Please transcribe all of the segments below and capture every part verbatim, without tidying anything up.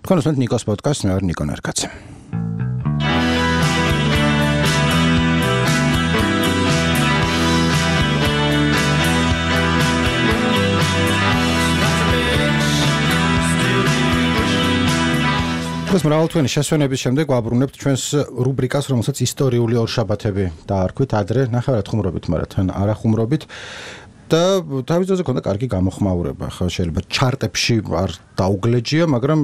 თქვენ უსმენთ ნიკოს პოდკასტს, მე ვარ ნიკო ნერკაცი. ეს მრავალთვიანი შესვენების შემდეგ ვაბრუნებთ ჩვენს რუბრიკას, რომელსაც ისტორიული ორშაბათები დაარქვით. ადრე ნახევრად ხუმრობით, მაგრამ თან არა ხუმრობით. და თავის დროზე ქონდა კარგი გამოხმაურება. ხო, შეიძლება ჩარტებში არ დაუგლეჯია, მაგრამ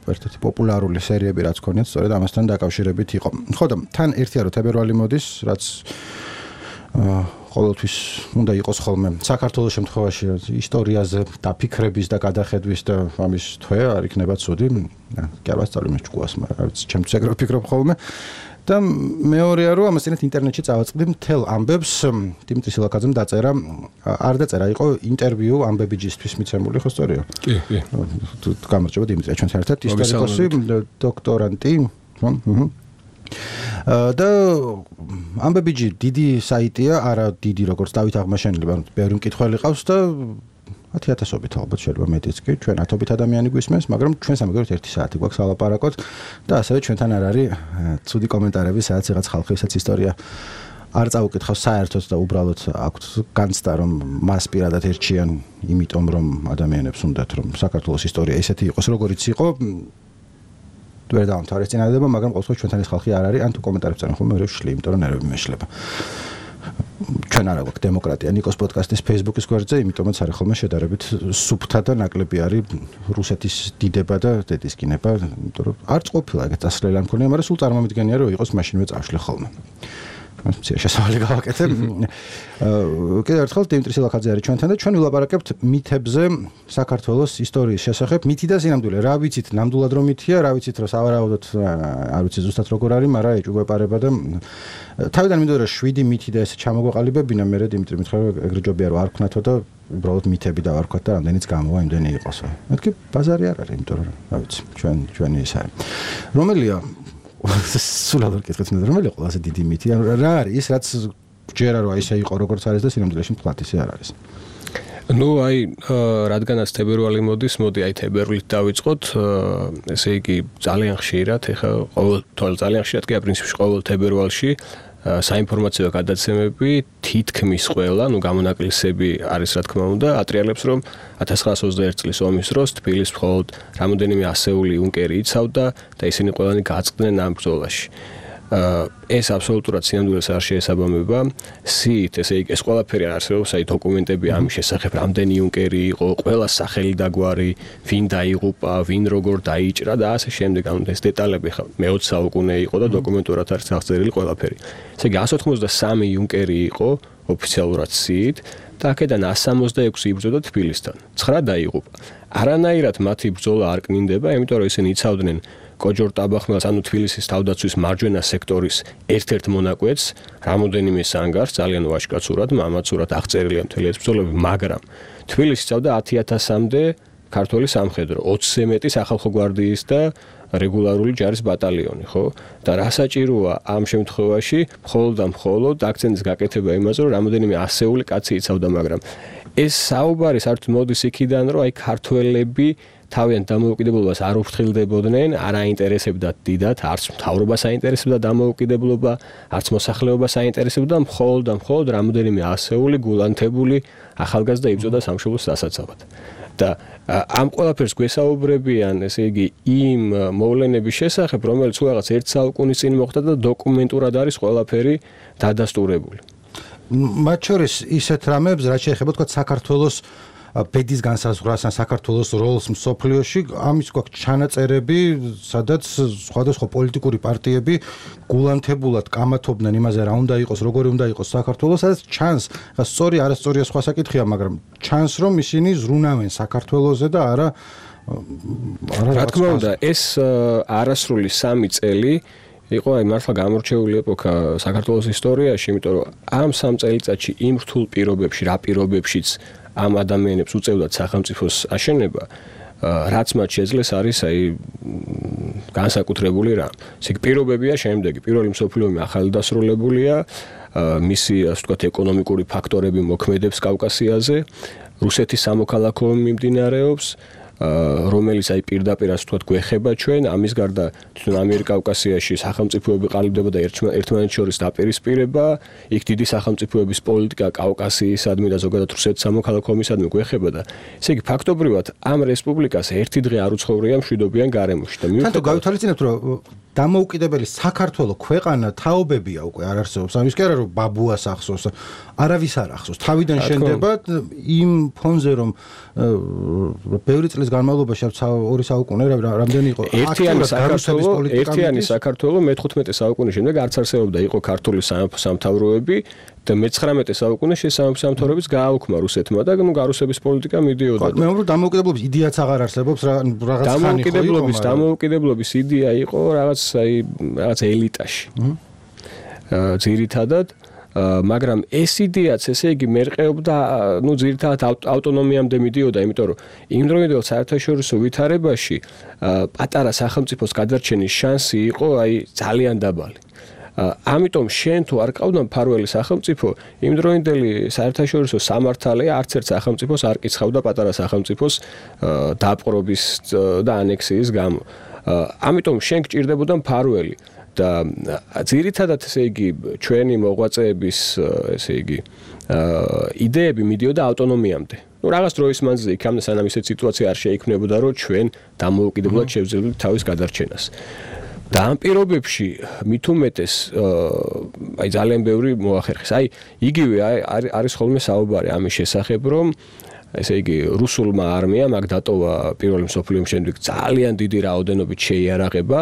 ერთ-ერთი პოპულარული სერიები რაც ქონიათ, სწორედ ამასთან დაკავშირებით იყო. ხო და თან ერთია რომ თებერვალი მოდის, რაც ყოველთვის უნდა იყოს ხოლმე საქართველოს შემთხვევაში ისტორიაზე დაფიქრების და გადახედვის და ამის თვე არ იქნება ცუდი. კი არ ვასწავლე მე ჭკუას, მაგრამ რა ვიცი, ჩემთვის ეგრე ვფიქრობ ხოლმე. და მეორეა რომ ამასთანავე ინტერნეტში წავაწყდი მთელ ამბებს. დიმიტრი სილაკაძემ დაწერა, არ დაწერა, იყო ინტერვიუ ამბებიჯისთვის მიცემული, ხო სწორია? კი, კი. გამარჯობა დიმიტრია, ჩვენთან ერთად ისტორიკოსი, დოქტორანტი, ხო? და ამბებიჯი დიდი საიტია, არა დიდი როგორც დავით აღმაშენელი, მაგრამ ბევრი მკითხველი ყავს და ათი ათასობით ალბათ შეიძლება მეტიც კი, ჩვენ ათობით ადამიანი გვისმენს, მაგრამ ჩვენ სამაგეროთ ერთი საათი გვაქვს ალაპარაკოთ და ასევე ჩვენთან არ არის ცუდი კომენტარები, სადაც რაღაც ხალხი ვისაც ისტორია არ წაუკითხავს საერთოდ და უბრალოდ აქვთ განცდა რომ მას პირადად ერჩიან, იმიტომ რომ ადამიანებს უნდათ რომ საქართველოს ისტორია ისეთი იყოს, როგორიც იყო. ვერ დავამთავრე ეს წინადადება, მაგრამ ყოველთვის ჩვენთან ეს ხალხი არ არის, ან თუ კომენტარებს წერენ ხოლმე ვერ ვშლი, იმიტომ რომ ნერვები მეშლება. ჩვენ არა გვაქვს დემოკრატია ნიკოს პოდკასტის Facebook-ის გვერდზე, იმიტომაც არის ხოლმე შედარებით სუფთა და ნაკლები არის რუსეთის დიდება და დედისკინება, იმიტომ რომ არც ყოფილა ეგეთ წასვლელი არ მქონია, მაგრამ სულ წარმომიდგენია რომ იყოს მაშინვე წავშლი ხოლმე. მცირე შესავალი გავაკეთე. კიდევ ერთხელ დიმიტრი სილაკაძე არის ჩვენთან და ჩვენ ვილაპარაკებთ მითებზე საქართველოს ისტორიის შესახებ. მითი და სინამდვილე, რა ვიცით ნამდვილად რომ მითია, რა ვიცით რომ სავარაუდოდ არ ვიცი ზუსტად როგორ არის, მაგრამ ეჭვგვეპარება და თავიდან მინდოდა რომ შვიდი მითი და ესე ჩამოგვეყალიბებინა, მე დიმიტრი მითხრა რომ ეგრე ჯობია რომ არ ვქნათო და უბრალოდ მითები დავარქვათ და რამდენიც გამოვა იმდენი იყოსო. მეთქი ბაზარი არ არის, იმიტომ რომ რა ვიცი, ჩვენ ჩვენი ის არის. რომელია სულ არ გეკითხეთ მე რომელი ყველაზე დიდი მითი რა არის ის რაც ჯერა რომ ისე იყო როგორც არის და სინამდვილეში მთლად ისე არ არის. ნუ აი რადგანაც თებერვალი მოდის, მოდი აი თებერვლით დავიწყოთ. ესე იგი ძალიან ხშირად, ეხლა ყოველ ძალიან ხშირად კი პრინციპში ყოველ თებერვალში საინფორმაციო გადაცემები თითქმის ყველა, ნუ გამონაკლისები არის რა თქმა უნდა, ატრიალებს რომ ათას ცხრაასი ოცდაერთი წლის ომის დროს თბილისს მხოლოდ რამოდენიმე ასეული იუნკერი იცავდა და ისინი ყველანი გაწყდნენ ამ ბრძოლაში. ეს აბსოლუტურად სინამდვილეს არ შეესაბამება. სიით, ესე იგი ეს ყველაფერი არსებობს, აი დოკუმენტები ამის შესახებ, რამდენი იუნკერი იყო, ყველა სახელი და გვარი, ვინ დაიღუპა, ვინ როგორ დაიჭრა და ასე შემდეგ. ანუ ეს დეტალები ხა მეოცე საუკუნე იყო და დოკუმენტურად არის აღწერილი ყველაფერი. ესე იგი εκατს ოცდასამი იუნკერი იყო ოფიციალურად სიით და აქედან εκατს სამოცდაექვსი იბრძოდა თბილისთან. ცხრა დაიღუპა. არანაირად მათი ბრძოლა არ კნინდება, იმიტომ რომ ისინი იცავდნენ კოჯორ-ტაბახმელს, ანუ თბილისის თავდაცვის მარჯვენა სექტორის ერთ-ერთ მონაკვეთს, რამოდენიმე სანგარს, ძალიან ვაჟკაცურად, მამაცურად აღწერილია მთელი ეს ბრძოლები, მაგრამ თბილისი იცავდა ათი ათასამდე ქართველი სამხედრო, ოცზე მეტი სახალხო გვარდიის და რეგულარული ჯარის ბატალიონი, ხო? და რა საჭიროა ამ შემთხვევაში, მხოლოდ და მხოლოდ აქცენტის გაკეთება იმაზე, რომ რამოდენიმე ასეული კაცი იცავდა, მაგრამ ეს საუბარი საერთოდ მოდის იქიდან, რომ აი ქართველები თავიანთ დამოუკიდებლობას არ უფრთხილდებოდნენ, არ აინტერესებდათ დიდად, არც მთავრობას აინტერესებდა დამოუკიდებლობა, არც მოსახლეობას აინტერესებდა, მხოლოდ და მხოლოდ რამოდენიმე ასეული გულანთებული ახალგაზრდა იბრძოდა სამშობლოს დასაცავად. და ამ ყველაფერს გვესაუბრებიან, ესე იგი, იმ მოვლენების შესახებ, რომელიც რაღაც ერთ საუკუნის წინ მოხდა და დოკუმენტურად არის ყველაფერი დადასტურებული. მათ შორის ისეთ რამებს, რაც შეეხება თქვა საქართველოს ბედის განსაზღვრას ან საქართველოს როლს მსოფლიოში, ამის გვაქვს ჩანაწერები, სადაც სხვადასხვა პოლიტიკური პარტიები გულანთებულად კამათობდნენ იმაზე, რა უნდა იყოს, როგორი უნდა იყოს საქართველოს, სადაც ჩანს, სწორი არასწორია სხვა საკითხია, მაგრამ ჩანს, რომ ისინი ზრუნავენ საქართველოზე და არა არა რა თქმა უნდა, ეს არასრული სამი წელი იყო აი მართლა გამორჩეული ეპოქა საქართველოს ისტორიაში, იმიტომ რომ ამ სამ წელიწადში იმ რთულ პირობებში, რა პირობებშიც ამ ადამიანებს უწევდათ სახელმწიფოს აშენება, რაც მათ შეძლეს არის აი განსაკუთრებული რამ. ეს პირობებია შემდეგი. პირველი მსოფლიო ომი ახალი დასრულებულია, მისი ასე ვთქვათ ეკონომიკური ფაქტორები მოქმედებს კავკასიაზე, რუსეთის სამოქალაქო ომი მიმდინარეობს, რომელიც აი პირდაპირ ასე ვთქვათ გვეხება ჩვენ, ამის გარდა თვითონ ამიერკავკასიაში სახელმწიფოები ყალიბდება და ერთმანეთს შორის დაპირისპირება, იქ დიდი სახელმწიფოების პოლიტიკა კავკასიისადმი და ზოგადად რუსეთის სამოქალაქო ომისადმი გვეხება და ესე იგი ფაქტობრივად ამ რესპუბლიკას ერთი დღე არ უცხოვრია მშვიდობიან გარემოში და მიუხედავად თან თუ გავითვალისწინებთ რომ დამოუკიდებელი საქართველოს ქვეყანა თაობებია უკვე არ არსებობს. ამის კი არა რომ ბაბუას ახსოვს, არავის არ ახსოვს. თავიდან შენდება იმ ფონზე რომ ბევრი წლის განმავლობაში ორი საუკუნე რამდენი იყო ერთიანი საქართველოს ერთიანი საქართველოს მეთერთმეტე საუკუნის შემდეგ არც არსებობდა იყო ქართული სამთავროები და მეცხრამეტე საუკუნეში სამთავროებიც გააუქმა რუსეთმა და ნუ გარუსების პოლიტიკა მიდიოდა. მე ვამბობ დამოუკიდებლობის იდეაც აღარ არსებობს რაღაც ხანი ხო დამოუკიდებლობის დამოუკიდებლობის იდეა იყო რაღაც აი რაღაც ელიტაში. ძირითადად მაგრამ ეს იდეაც ესე იგი მერყეობდა ნუ ძირითადად ავტონომიამდე მიდიოდა, იმიტომ რომ იმ დროინდელ საერთაშორისო ვითარებაში პატარა სახელმწიფოს გადარჩენის შანსი იყო აი ძალიან დაბალი. ამიტომ შენ თუ არ ყავდა მფარველი სახელმწიფო, იმ დროინდელი საერთაშორისო სამართალი არც ერთ სახელმწიფოს არ კიცხავდა პატარა სახელმწიფოს დაპყრობის და ანექსიის გამო. ამიტომ შენ გჭირდებოდა მფარველი და ძირითადად ესე იგი ჩვენი მოღვაწეების ესე იგი იდეები მიდიოდა ავტონომიამდე. ნუ რაღაც დროის მანძილზე იქამდე სანამ ისეთ სიტუაცია არ შეიქმნებოდა, რომ ჩვენ დამოუკიდებლად შევძლებდით თავის გადარჩენას. და ამ პირობებში მით უმეტეს აი ძალიან ბევრი მოახერხეს. აი იგივე არის ხოლმე საუბარი ამის შესახებ, რომ ესე იგი რუსულმა არმიამ აქ დატოვა პირველი მსოფლიო ომის შემდეგ ძალიან დიდი რაოდენობით შეიარაღება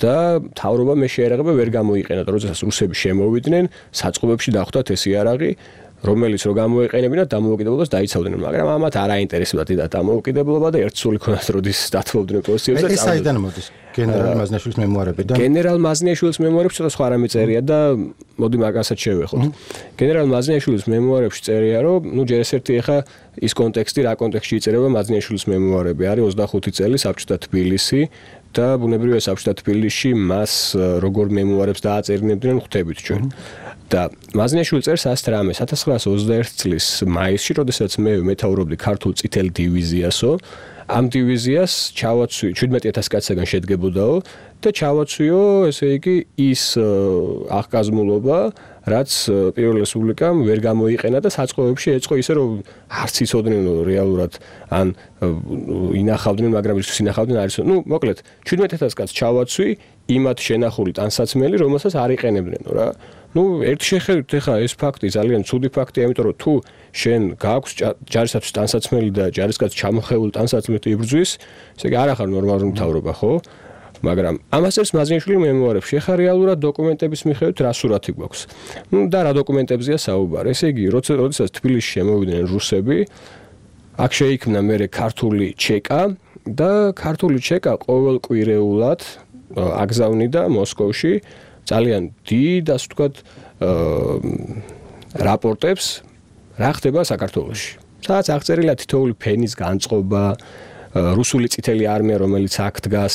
და მთავრობა მე შეიარაღება ვერ გამოიყენა, როდესაც რუსები შემოვიდნენ, საწყობებში დახვდათ ეს იარაღი, რომელიც რო გამოიყენებინათ დამოუკიდებლობას დაიცავდნენ, მაგრამ ამათ არ აინტერესებდათ დიდად დამოუკიდებლობა და ერთსული ქონათ როდის დათმობდნენ პოზიციებს და ეს საიდან მოდის? გენერალ მაზნიაშვილის მემუარებიდან. გენერალ მაზნიაშვილის მემუარებში ცოტა სხვა რამე წერია და მოდი მაგასაც შევეხოთ. გენერალ მაზნიაშვილის მემუარებში წერია, რომ ნუ ჯერ ეს ერთი ახლა ის კონტექსტი, რა კონტექსტში იწერება მაზნიაშვილის მემუარები, არის ოცდახუთი წელი საბჭოთა თბილისი და ბუნებრივია საბჭოთა თბილისში მას როგორ მემუარებს დააწერინებდნენ ხვდებით ჩვენ. და მაზნიაშვილი წერს ასეთ რამეს ათას ცხრაასა ოცდაერთი წლის მაისში, როდესაც მე მეთაურობდი ქართულ წითელ დივიზიასო, ამ დივიზიას ჩავაცვი შვიდმეტი ათასი კაცისგან შედგებოდაო და ჩავაცვიო, ესე იგი, ის აღგაზმულობა, რაც პირველ რესპუბლიკამ ვერ გამოიყენა და საწყობებში ეწყო ისე, რომ არც იცოდნენ რეალურად ან ინახავდნენ, მაგრამ ის ინახავდნენ არის, ნუ მოკლედ შვიდმეტი ათასი კაცს ჩავაცვი იმათ შენახული ტანსაცმელი, რომელსაც არ იყენებდნენ რა. ნუ ერთი შეხედვით ახლა ეს ფაქტი ძალიან ცუდი ფაქტია, იმიტომ რომ თუ შენ გააქვს ჯარისათვის ტანსაცმელი და ჯარისკაცი ჩამოხეული ტანსაცმელით იბრძვის, ესე იგი არ ახარ ნორმალური მთავრობა, ხო? მაგრამ ამას წერს მაზნიაშვილი მემუარებში. ახლა რეალურად დოკუმენტების მიხედვით რა სურათი გვაქვს? ნუ და რა დოკუმენტებზეა საუბარი? ესე იგი, როდესაც თბილისში შემოვიდნენ რუსები, აქ შეიქმნა მერე ქართული ჩეკა და ქართული ჩეკა ყოველკვირეულად აგზავნიდა მოსკოვში ძალიან დიდ, ასე ვთქვათ, რაპორტებს რა ხდება საქართველოში. სადაც აღწერილია თითოეული ფენის განწყობა, რუსული წითელი არმია, რომელიც აქ დგას,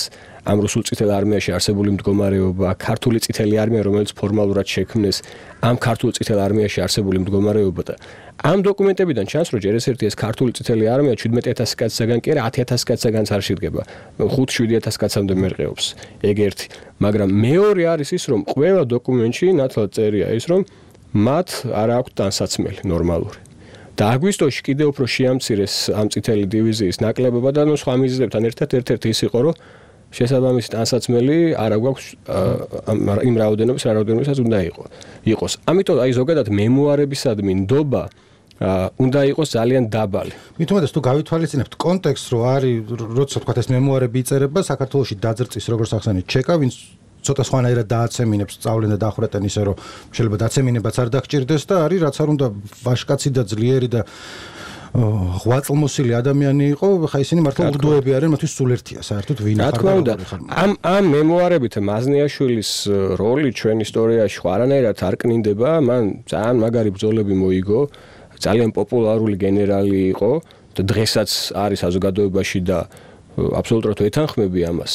ამ რუსულ წითელ არმიაში არსებული მდგომარეობა, ქართული წითელი არმია, რომელიც ფორმალურად შექმნეს, ამ ქართულ წითელ არმიაში არსებული მდგომარეობა და ამ დოკუმენტებიდან ჩანს, რომ ჯერ ეს ერთი ეს ქართული წითელი არმია შვიდმეტი ათასი კაცისგან კი არა ათი ათასი კაცისგანაც არ შედგება. ხუთ შვიდი ათასი კაცამდე მერყეობს. ეგ ერთი. მაგრამ მეორე არის ის, რომ ყველა დოკუმენტში ნათლად წერია ის, რომ მათ არ აქვთ ტანსაცმელი ნორმალური. და აგვისტოში კიდევ უფრო შეამცირეს ამ წითელი დივიზიის ნაკლებობა და ნუ სხვა მიზეზებთან ერთად ერთ-ერთი ის იყო, რომ შესაბამისი ტანსაცმელი არ აგვაქვს იმ რაოდენობის, რა რაოდენობისაც უნდა იყოს. ამიტომ აი ზოგადად მემუარებისადმი ნდობა უნდა იყოს ძალიან დაბალი. მით უმეტეს თუ გავითვალისწინებთ კონტექსტს, რომ არის, როცა თქვა ეს მემუარები იწერება, საქართველოში დაძრწის როგორც ახსენეთ ჩეკა, ვინც ცოტა სხვანაირად დააცემინებს სწავლენ და დახვრეტენ ისე, რომ შეიძლება დაცემინებაც არ დაგჭირდეს და არის რაც არ უნდა ვაშკაცი და ძლიერი და ღვაწლმოსილი ადამიანი იყო, ხა ისინი მართლა უგდოები არიან, მათთვის სულ ერთია საერთოდ ვინ ახარ. რა თქმა უნდა, ამ ამ მემუარებით მაზნიაშვილის როლი ჩვენ ისტორიაში ხო არანაირად არ კნინდება, მან ძალიან მაგარი ბრძოლები მოიგო, ძალიან პოპულარული გენერალი იყო და დღესაც არის საზოგადოებაში და აბსოლუტურად ვეთანხმები ამას.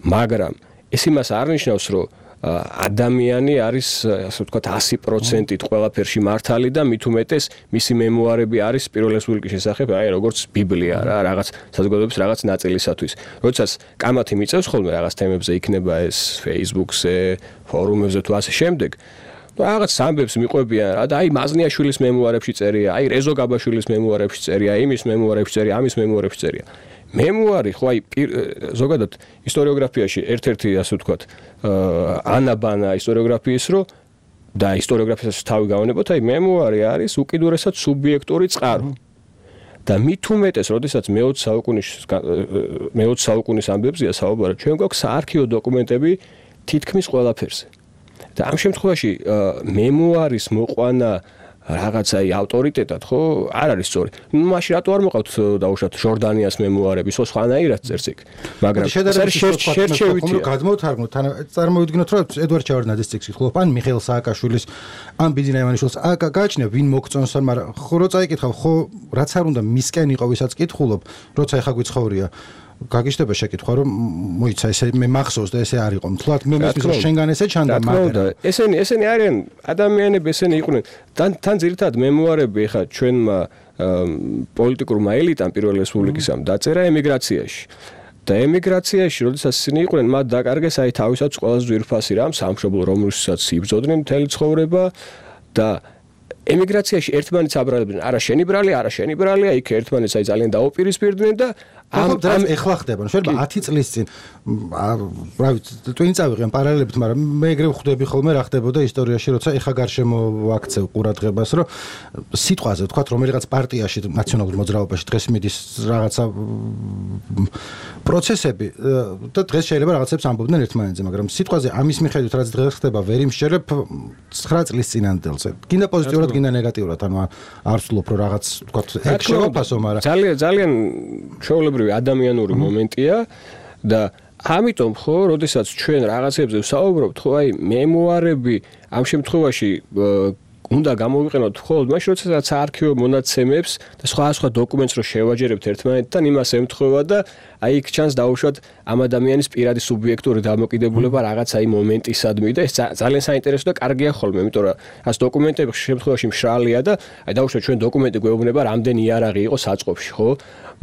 მაგრამ ეს იმას არ ნიშნავს, რომ ადამიანი არის ასე ვთქვათ one hundred percent ყველაფერში მართალი და მით უმეტეს მისი მემუარები არის პირველ რესპუბლიკის შესახებ აი როგორც ბიბლია რა რაღაც საზოგადოების რაღაც ნაწილისათვის. როდესაც კამათი მიწევს ხოლმე რაღაც თემებზე იქნება ეს Facebook-ზე, ფორუმებზე თუ ასე შემდეგ რაღაც ამბებს მიყვებიან რა და აი მაზნიაშვილის მემუარებში წერია, აი რეზო გაბაშვილის მემუარებში წერია, იმის მემუარებში წერია, ამის მემუარებში წერია. მემუარი ხო აი ზოგადად ისტორიოგრაფიაში ერთ-ერთი ასე ვთქვათ ანაბანა ისტორიოგრაფიის რო და ისტორიოგრაფიას თავი გავანებოთ აი მემუარი არის უკიდურესად სუბიექტური წყარო და მით უმეტეს როდესაც მეოცე საუკუნის მეოცე საუკუნის ამბებზია საუბარი ჩვენ გვაქვს საარქივო დოკუმენტები თითქმის ყველაფერზე და ამ შემთხვევაში მემუარის მოყვანა რაღაცა ავტორიტეტად ხო არ არის სწორი. ნუ მაშინ რატო არ მოყავთ დაუშვათ ჟორდანიას მემუარები, ხო სხვანაირად წერს იქ. მაგრამ შედარებით გადმოვთარგმნოთ, თან წარმოვიდგინოთ რომ ედვარდ ჩავარდნაძის ტექსტი ხლობ ან მიხეილ სააკაშვილის ან ბიძინა ივანიშვილის აკა გააჩნია ვინ მოგწონს ან მაგრამ ხო რო წაიკითხავ ხო რაც არ უნდა მისკენ იყო ვისაც კითხულობ, როცა ეხა გვიცხოვრია გაგიშდება შეკითხვა რომ მოიცა ესე მე მახსოვს და ესე არ იყო მთლად მე მესმის რომ შენგან ესე ჩანდა მაგრამ ესენი ესენი არიან ადამიანები ესენი იყვნენ თან თან ძირითადად მემუარები ხა ჩვენმა პოლიტიკურმა ელიტამ პირველ რესპუბლიკისამ დაწერა ემიგრაციაში და ემიგრაციაში როდესაც ისინი იყვნენ მათ დაკარგეს აი თავისაც ყველაზე ძვირფასი რამ სამშობლო რომელსაც იბრძოდნენ მთელი ცხოვრება და ემიგრაციაში ერთმანეთს აბრალებდნენ არა შენი ბრალი არა შენი ბრალია იქ ერთმანეთს აი ძალიან დაუპირისპირდნენ და ამ ამ ეხლა ხდება შეიძლება ათი წლის წინ რა ვიცი twin წავიღენ პარალელებით მაგრამ მე ეგრე ვხვდები ხოლმე რა ხდებოდა ისტორიაში როცა ეხა გარშემო ვაქცევ ყურადღებას რომ სიტყვაზე ვთქვათ რომელიღაც პარტიაში ნაციონალურ მოძრაობაში დღეს მიდის რაღაცა პროცესები და დღეს შეიძლება რაღაცებს ამბობდნენ ერთმანეთზე მაგრამ სიტყვაზე ამის მიხედვით რაც დღეს ხდება ვერ იმშერებ ცხრა წლის წინანდელზე გინდა პოზიტიურად გინდა ნეგატიურად ანუ არ ვსულობ რომ რაღაც ვთქვათ ეგ შევაფასო მაგრამ ძალიან ძალიან ჩვეულებრივი ადამიანური მომენტია და ამიტომ ხო, როდესაც ჩვენ რაღაცებზე ვსაუბრობთ, ხო, აი მემუარები ამ შემთხვევაში უნდა გამოვიყენოთ მხოლოდ მაშინ, როდესაც საარქივო მონაცემებს და სხვა სხვა დოკუმენტს რო შევაჯერებთ ერთმანეთთან, იმას ემთხვევა და აი იქ ჩანს დაუშვათ ამ ადამიანის პირადი სუბიექტური დამოკიდებულება რაღაც აი მომენტისადმი და ეს ძალიან საინტერესო და კარგია ხოლმე, იმიტომ რომ ას დოკუმენტები შემთხვევაში მშრალია და აი დაუშვათ ჩვენ დოკუმენტი გვეუბნება რამდენი იარაღი იყო საწყობში, ხო?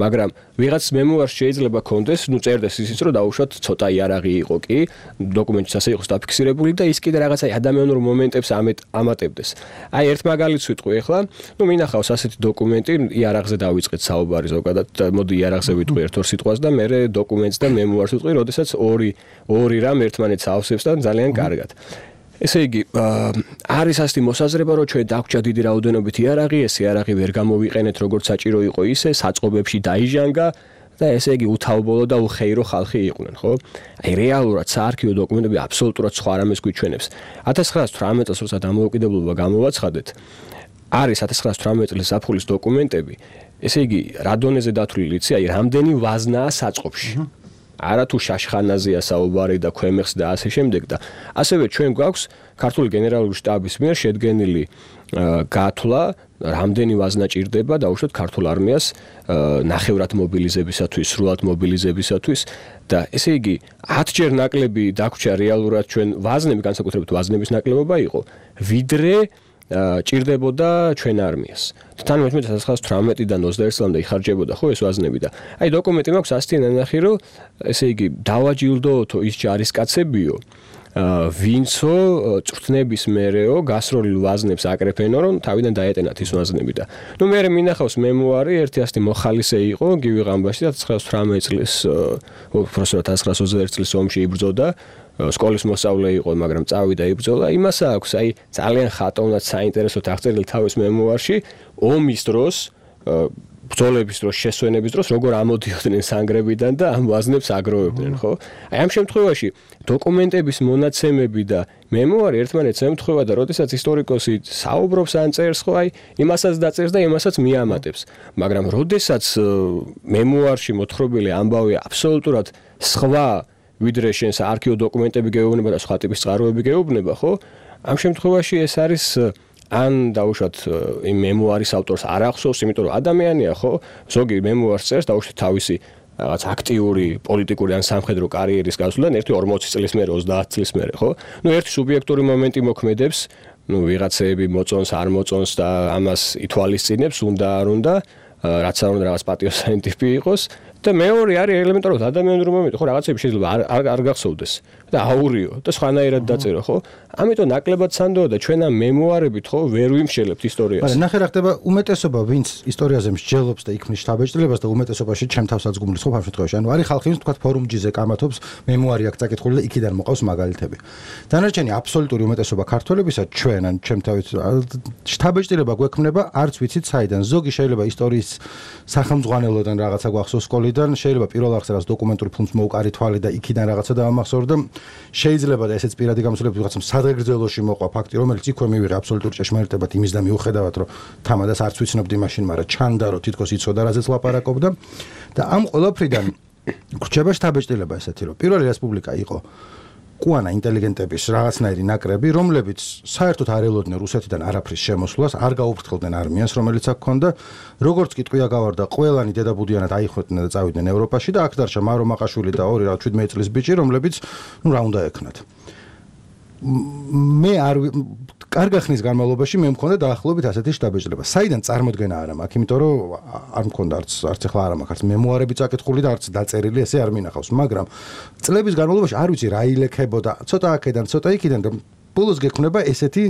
მაგრამ ვიღაც მემუარს შეიძლება კონდეს, ნუ წერდეს ისიც რომ დაუშვათ ცოტა იარაღი იყო კი, დოკუმენტიც ასე იყოს დაფიქსირებული და ის კიდე რაღაც აი ადამიანურ მომენტებს ამატებდეს. აი ერთ მაგალითს ვიტყვი ახლა, ნუ მინახავს ასეთი დოკუმენტი, იარაღზე დავიწყეთ საუბარი ზოგადად, მოდი იარაღზე ვიტყვი ერთ-ორ სიტყვას და მე დოკუმენტს და მემუარს ვიტყვი, როდესაც ორი ორი რამ ერთმანეთს ავსებს და ძალიან კარგად. ესე იგი, არის ასეთი მოსაზრება, რომ ჩვენ დაგვრჩა დიდი რაოდენობით იარაღი, ეს იარაღი ვერ გამოვიყენეთ როგორც საჭირო იყო ისე, საწყობებში დაიჟანგა და ესე იგი უთავბოლო და უხეირო ხალხი იყვნენ, ხო? აი რეალურად საარქივო დოკუმენტები აბსოლუტურად სხვა რამეს გვიჩვენებს. ათას ცხრაას თვრამეტ წელს როცა დამოუკიდებლობა გამოვაცხადეთ, არის ათას ცხრაას თვრამეტ წლის ზაფხულის დოკუმენტები, ესე იგი, რა დონეზე დათვლილი იცი, აი რამდენი ვაზნაა საწყობში. არა თუ შაშხანაზეა საუბარი და ქვემეხს და ასე შემდეგ და ასევე ჩვენ გვაქვს ქართული გენერალური შტაბის მიერ შედგენილი გათვლა რამდენი ვაზნა ჭირდება დაუშვათ ქართულ არმიას ნახევრად მობილიზებისათვის, სრულად მობილიზებისათვის და ესე იგი ათჯერ ნაკლები დაგვრჩა რეალურად ჩვენ ვაზნები განსაკუთრებით ვაზნების ნაკლებობა იყო ვიდრე ჭირდებოდა ჩვენ არმიას. თან მეთმეტ ათას ცხრაას თვრამეტიდან ოცდაერთ წლამდე იხარჯებოდა ხო ეს ვაზნები და აი დოკუმენტი მაქვს ასეთი ნანახი რომ ესე იგი დავაჯილდოოთო ის ჯარისკაცებიო ვინცო წვრთნების მერეო გასროლილ ვაზნებს აკრეფენო რომ თავიდან დაეტენათ ის ვაზნები და ნუ მე მინახავს მემუარი ერთი ასეთი მოხალისე იყო გივი ღამბაში ათას ცხრაას თვრამეტ წლის უბრალოდ ათას ცხრაას ოცდაერთ წლის ომში იბრძოდა სკოლის მოსწავლე იყო, მაგრამ წავიდა იბრძოლა. იმას აქვს, აი, ძალიან ხატოვნად საინტერესოდ აღწერილი თავის მემუარში, ომის დროს, ბრძოლების დროს, შესვენების დროს, როგორ ამოდიოდნენ სანგრებიდან და ამ ვაზნებს აგროვებდნენ, ხო? აი, ამ შემთხვევაში დოკუმენტების მონაცემები და მემუარი ერთმანეთს ემთხვევა და როდესაც ისტორიკოსი საუბრობს ან წერს, ხო, აი, იმასაც დაწერს და იმასაც მიამატებს. მაგრამ როდესაც მემუარში მოთხრობილი ამბავი აბსოლუტურად სხვა ვიდრე შენ საარქივო დოკუმენტები გეუბნება და სხვა ტიპის წყაროები გეუბნება, ხო? ამ შემთხვევაში ეს არის ან დაუშვათ იმ მემუარის ავტორს არ ახსოვს, იმიტომ რომ ადამიანია, ხო? ზოგი მემუარს წერს, დაუშვათ თავისი რაღაც აქტიური პოლიტიკური ან სამხედრო კარიერის გასვლიდან ერთი ორმოცი წლის მერე ოცდაათი წლის მერე, ხო? ნუ ერთი სუბიექტური მომენტი მოქმედებს, ნუ ვიღაცები მოწონს, არ მოწონს და ამას ითვალისწინებს, უნდა არ უნდა, რაც არ უნდა რაღაც პატიოსანი ტიპი იყოს და მეორე არის ელემენტარულად ადამიანური მომენტი, ხო, რაღაცები შეიძლება არ არ, არ გახსოვდეს და აურიო და სხვანაირად დაწერო, ხო? ამიტომ ნაკლებად სანდოა და ჩვენ ამ მემუარებით, ხო, ვერ ვიმშელებთ ისტორიას. მაგრამ ნახე რა ხდება უმეტესობა, ვინც ისტორიაზე მსჯელობს და იქმნის შთაბეჭდილებას და უმეტესობაში ჩემ თავსაც გუმლის, ხო, ამ შემთხვევაში. ანუ არის ხალხი, ვინც თქვა ფორუმჯიზე კამათობს, მემუარი აქვს წაკითხული და იქიდან მოყავს მაგალითები. დანარჩენი აბსოლუტური უმეტესობა ქართველებისა ჩვენ ან ჩემ თავით შთაბეჭდილება გვექმნება, არც ვიცით საიდან. ზოგი შეიძლება ისტორიის სახელმძღვანელოდან რაღაცა გვახსოვს სკოლიდან, შეიძლება პირველ არხზე რაღაც დოკუმენტური ფილმს მოუკარი თვალი და იქიდან რაღაცა დავამახსოვრ და შეიძლება და ესეც პირადი გამოსვლები ვიღაცამ სადღეგრძელოში მოყვა ფაქტი, რომელიც იქვე მივიღე აბსოლუტურ ჭეშმარიტებად იმის და მიუხედავად, რომ თამადას არც ვიცნობდი მაშინ, მაგრამ ჩანდა, რომ თითქოს იცოდა რაზეც ლაპარაკობდა და ამ ყველაფრიდან გრჩება შთაბეჭდილება ესეთი, რომ პირველი რესპუბლიკა იყო კუანა ინტელიგენტების რაღაცნაირი ნაკრები, რომლებიც საერთოდ არ ელოდნენ რუსეთიდან არაფრის შემოსვლას, არ გაუფრთხილდნენ არმიას, რომელიც აქ ჰქონდა, როგორც კი ტყვია გავარდა, ყველანი დედაბუდიანად აიხვეწდნენ და წავიდნენ ევროპაში და აქ დარჩა მარო მაყაშვილი და ორი რა შვიდმეტი წლის ბიჭი, რომლებიც ნუ რა უნდა ექნათ. მე არ კარგი ხნის განმავლობაში მე მქონდა დაახლოებით ასეთი შთაბეჭდილება. საიდან წარმოდგენა არა მაქვს, იმიტომ რომ არ მქონდა არც არც ახლა არა მაქვს, არც მემუარები წაკითხული და არც დაწერილი, ესე არ მინახავს, მაგრამ წლების განმავლობაში არ ვიცი რა ილექებოდა, ცოტა აქედან, ცოტა იქიდან და ბოლოს გექნება ესეთი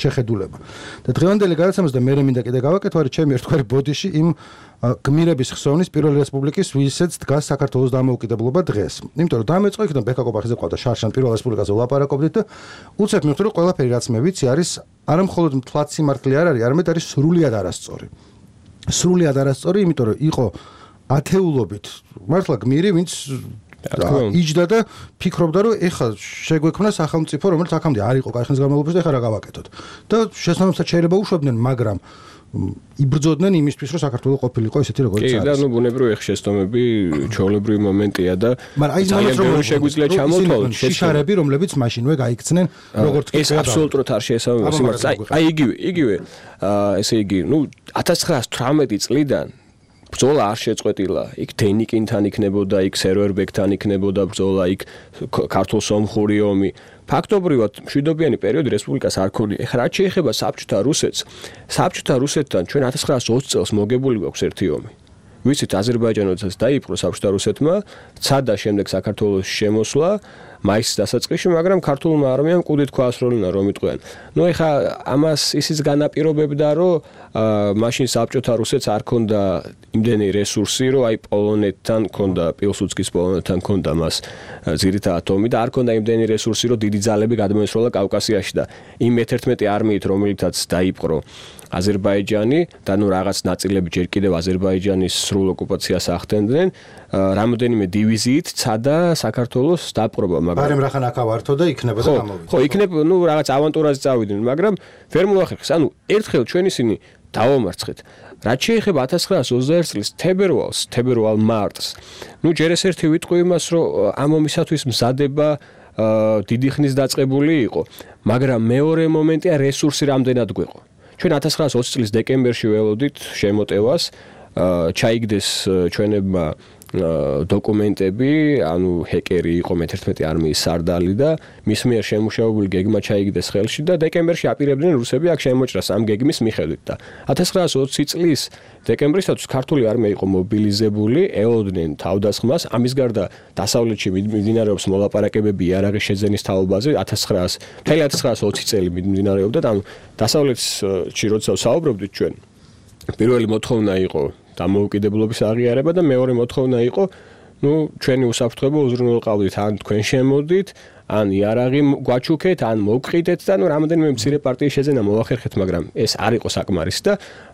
შეხედულება. და დღევანდელი გადაცემას და მე მინდა კიდე გავაკეთო, არის ჩემი ერთგვარი ბოდიში იმ გმირების ხსოვნის პირველი რესპუბლიკის ვისაც დგას საქართველოს დამოუკიდებლობა დღეს. იმიტომ რომ დამეწყო იქიდან ბექა კობახიძე ყავდა შარშან პირველ რესპუბლიკაზე ვლაპარაკობდით და უცებ მივხვდი რომ ყველაფერი რაც მე ვიცი არის არა მხოლოდ მთლად სიმართლე არ არის, არამედ არის სრულიად არასწორი. სრულიად არასწორი, იმიტომ რომ იყო ათეულობით მართლა გმირი, ვინც იჯდა და ფიქრობდა რომ ეხლა შეგვექმნა სახელმწიფო, რომელიც აქამდე არ იყო კახის განმავლობაში და ეხლა რა გავაკეთოთ. და შესაბამისად შეიძლება უშვებდნენ, მაგრამ იბრძოდნენ იმისთვის, რომ საქართველოს ყოფილიყო ესეთი როგორც არის. კი, და ნუ ბუნებრივი ხშესტომები, ჩვეულებრივი მომენტია და მაგრამ აი ეს მომენტი რომ შეგვიძლია ჩამოვთვალოთ შიშარები, რომლებიც მაშინვე გაიქცნენ, როგორც კი ეს აბსოლუტურად არ შეესაბამება სიმართლეს. აი იგივე, იგივე, ესე იგი, ნუ ათას ცხრაას თვრამეტი წლიდან ბრძოლა არ შეწყვეტილა. იქ დენიკინთან იქნებოდა, იქ სერვერბეკთან იქნებოდა ბრძოლა, იქ ქართულ სომხური ომი. ფაქტობრივად მშვიდობიანი პერიოდი რესპუბლიკას არ ქონია. ეხლა რაც შეეხება საბჭოთა რუსეთს, საბჭოთა რუსეთთან ჩვენ ათას ცხრაას ოცი წელს მოგებული გვაქვს ერთი ომი. ვიცით, აზერბაიჯანოდაც დაიპყრო საბჭოთა რუსეთმა, ცადა შემდეგ საქართველოს შემოსვლა მაისის დასაწყისში, მაგრამ ქართულმა არმიამ კუდით ქვაასროლინა რომ იტყვიან. ნუ ეხლა ამას ისიც განაპირობებდა, რომ მაშინ საბჭოთა რუსეთს არ ქონდა იმდენი რესურსი, რომ აი პოლონეთთან ქონდა, პილსუდსკის პოლონეთთან ქონდა მას ძირითადად ომი და არ ქონდა იმდენი რესურსი, რომ დიდი ძალები გადმოესროლა კავკასიაში და იმ მეთერთმეტი არმიით, რომელთაც დაიპყრო აზერბაიჯანი და ნუ რაღაც ნაწილები ჯერ კიდევ აზერბაიჯანის სრულ ოკუპაციას ახდენდნენ, რამოდენიმე დივიზიით ცადა საქართველოს დაპყრობა, მაგრამ ბარემ რახან აქ ავართო და იქნება და გამოვიდა. ხო, იქნებ, ნუ რაღაც ავანტურაზე წავიდნენ, მაგრამ ვერ მოახერხეს. ანუ ერთხელ ჩვენ ისინი დავამარცხეთ. რაც შეეხება ათას ცხრაას ოცდაერთი წლის თებერვალს, თებერვალ მარტს. ნუ ჯერ ეს ერთი ვიტყვი იმას, რომ ამ ომისათვის მზადება დიდი ხნის დაწყებული იყო, მაგრამ მეორე მომენტია რესურსი რამდენად გვეყო. ჩვენ ათას ცხრაას ოცი წლის დეკემბერში ველოდით შემოტევას, ჩაიგდეს ჩვენებმა დოკუმენტები, ანუ ჰეკერი იყო მეთერთმეტი არმიის სარდალი და მის მიერ შემუშავებული გეგმა ჩაიგდეს ხელში და დეკემბერში აპირებდნენ რუსები აქ შემოჭრას ამ გეგმის მიხედვით და ათას ცხრაას ოცი წლის დეკემბრისათვის ქართული არმია იყო მობილიზებული, ელოდნენ თავდასხმას, ამის გარდა დასავლეთში მიმდინარეობს მოლაპარაკებები იარაღის შეძენის თაობაზე ათას ცხრაას მთელი ათას ცხრაას ოცი წელი მიმდინარეობდა და ანუ დასავლეთში როცა საუბრობდით ჩვენ პირველი მოთხოვნა იყო დამოუკიდებლობის აღიარება და მეორე მოთხოვნა იყო, ნუ ჩვენი უსაფრთხოება უზრუნველყავდით, ან თქვენ შემოდით, ან იარაღი გვაჩუქეთ, ან მოვყიდეთ და ნუ რამოდენიმე მცირე პარტიის შეძენა მოახერხეთ, მაგრამ ეს არ იყო საკმარისი და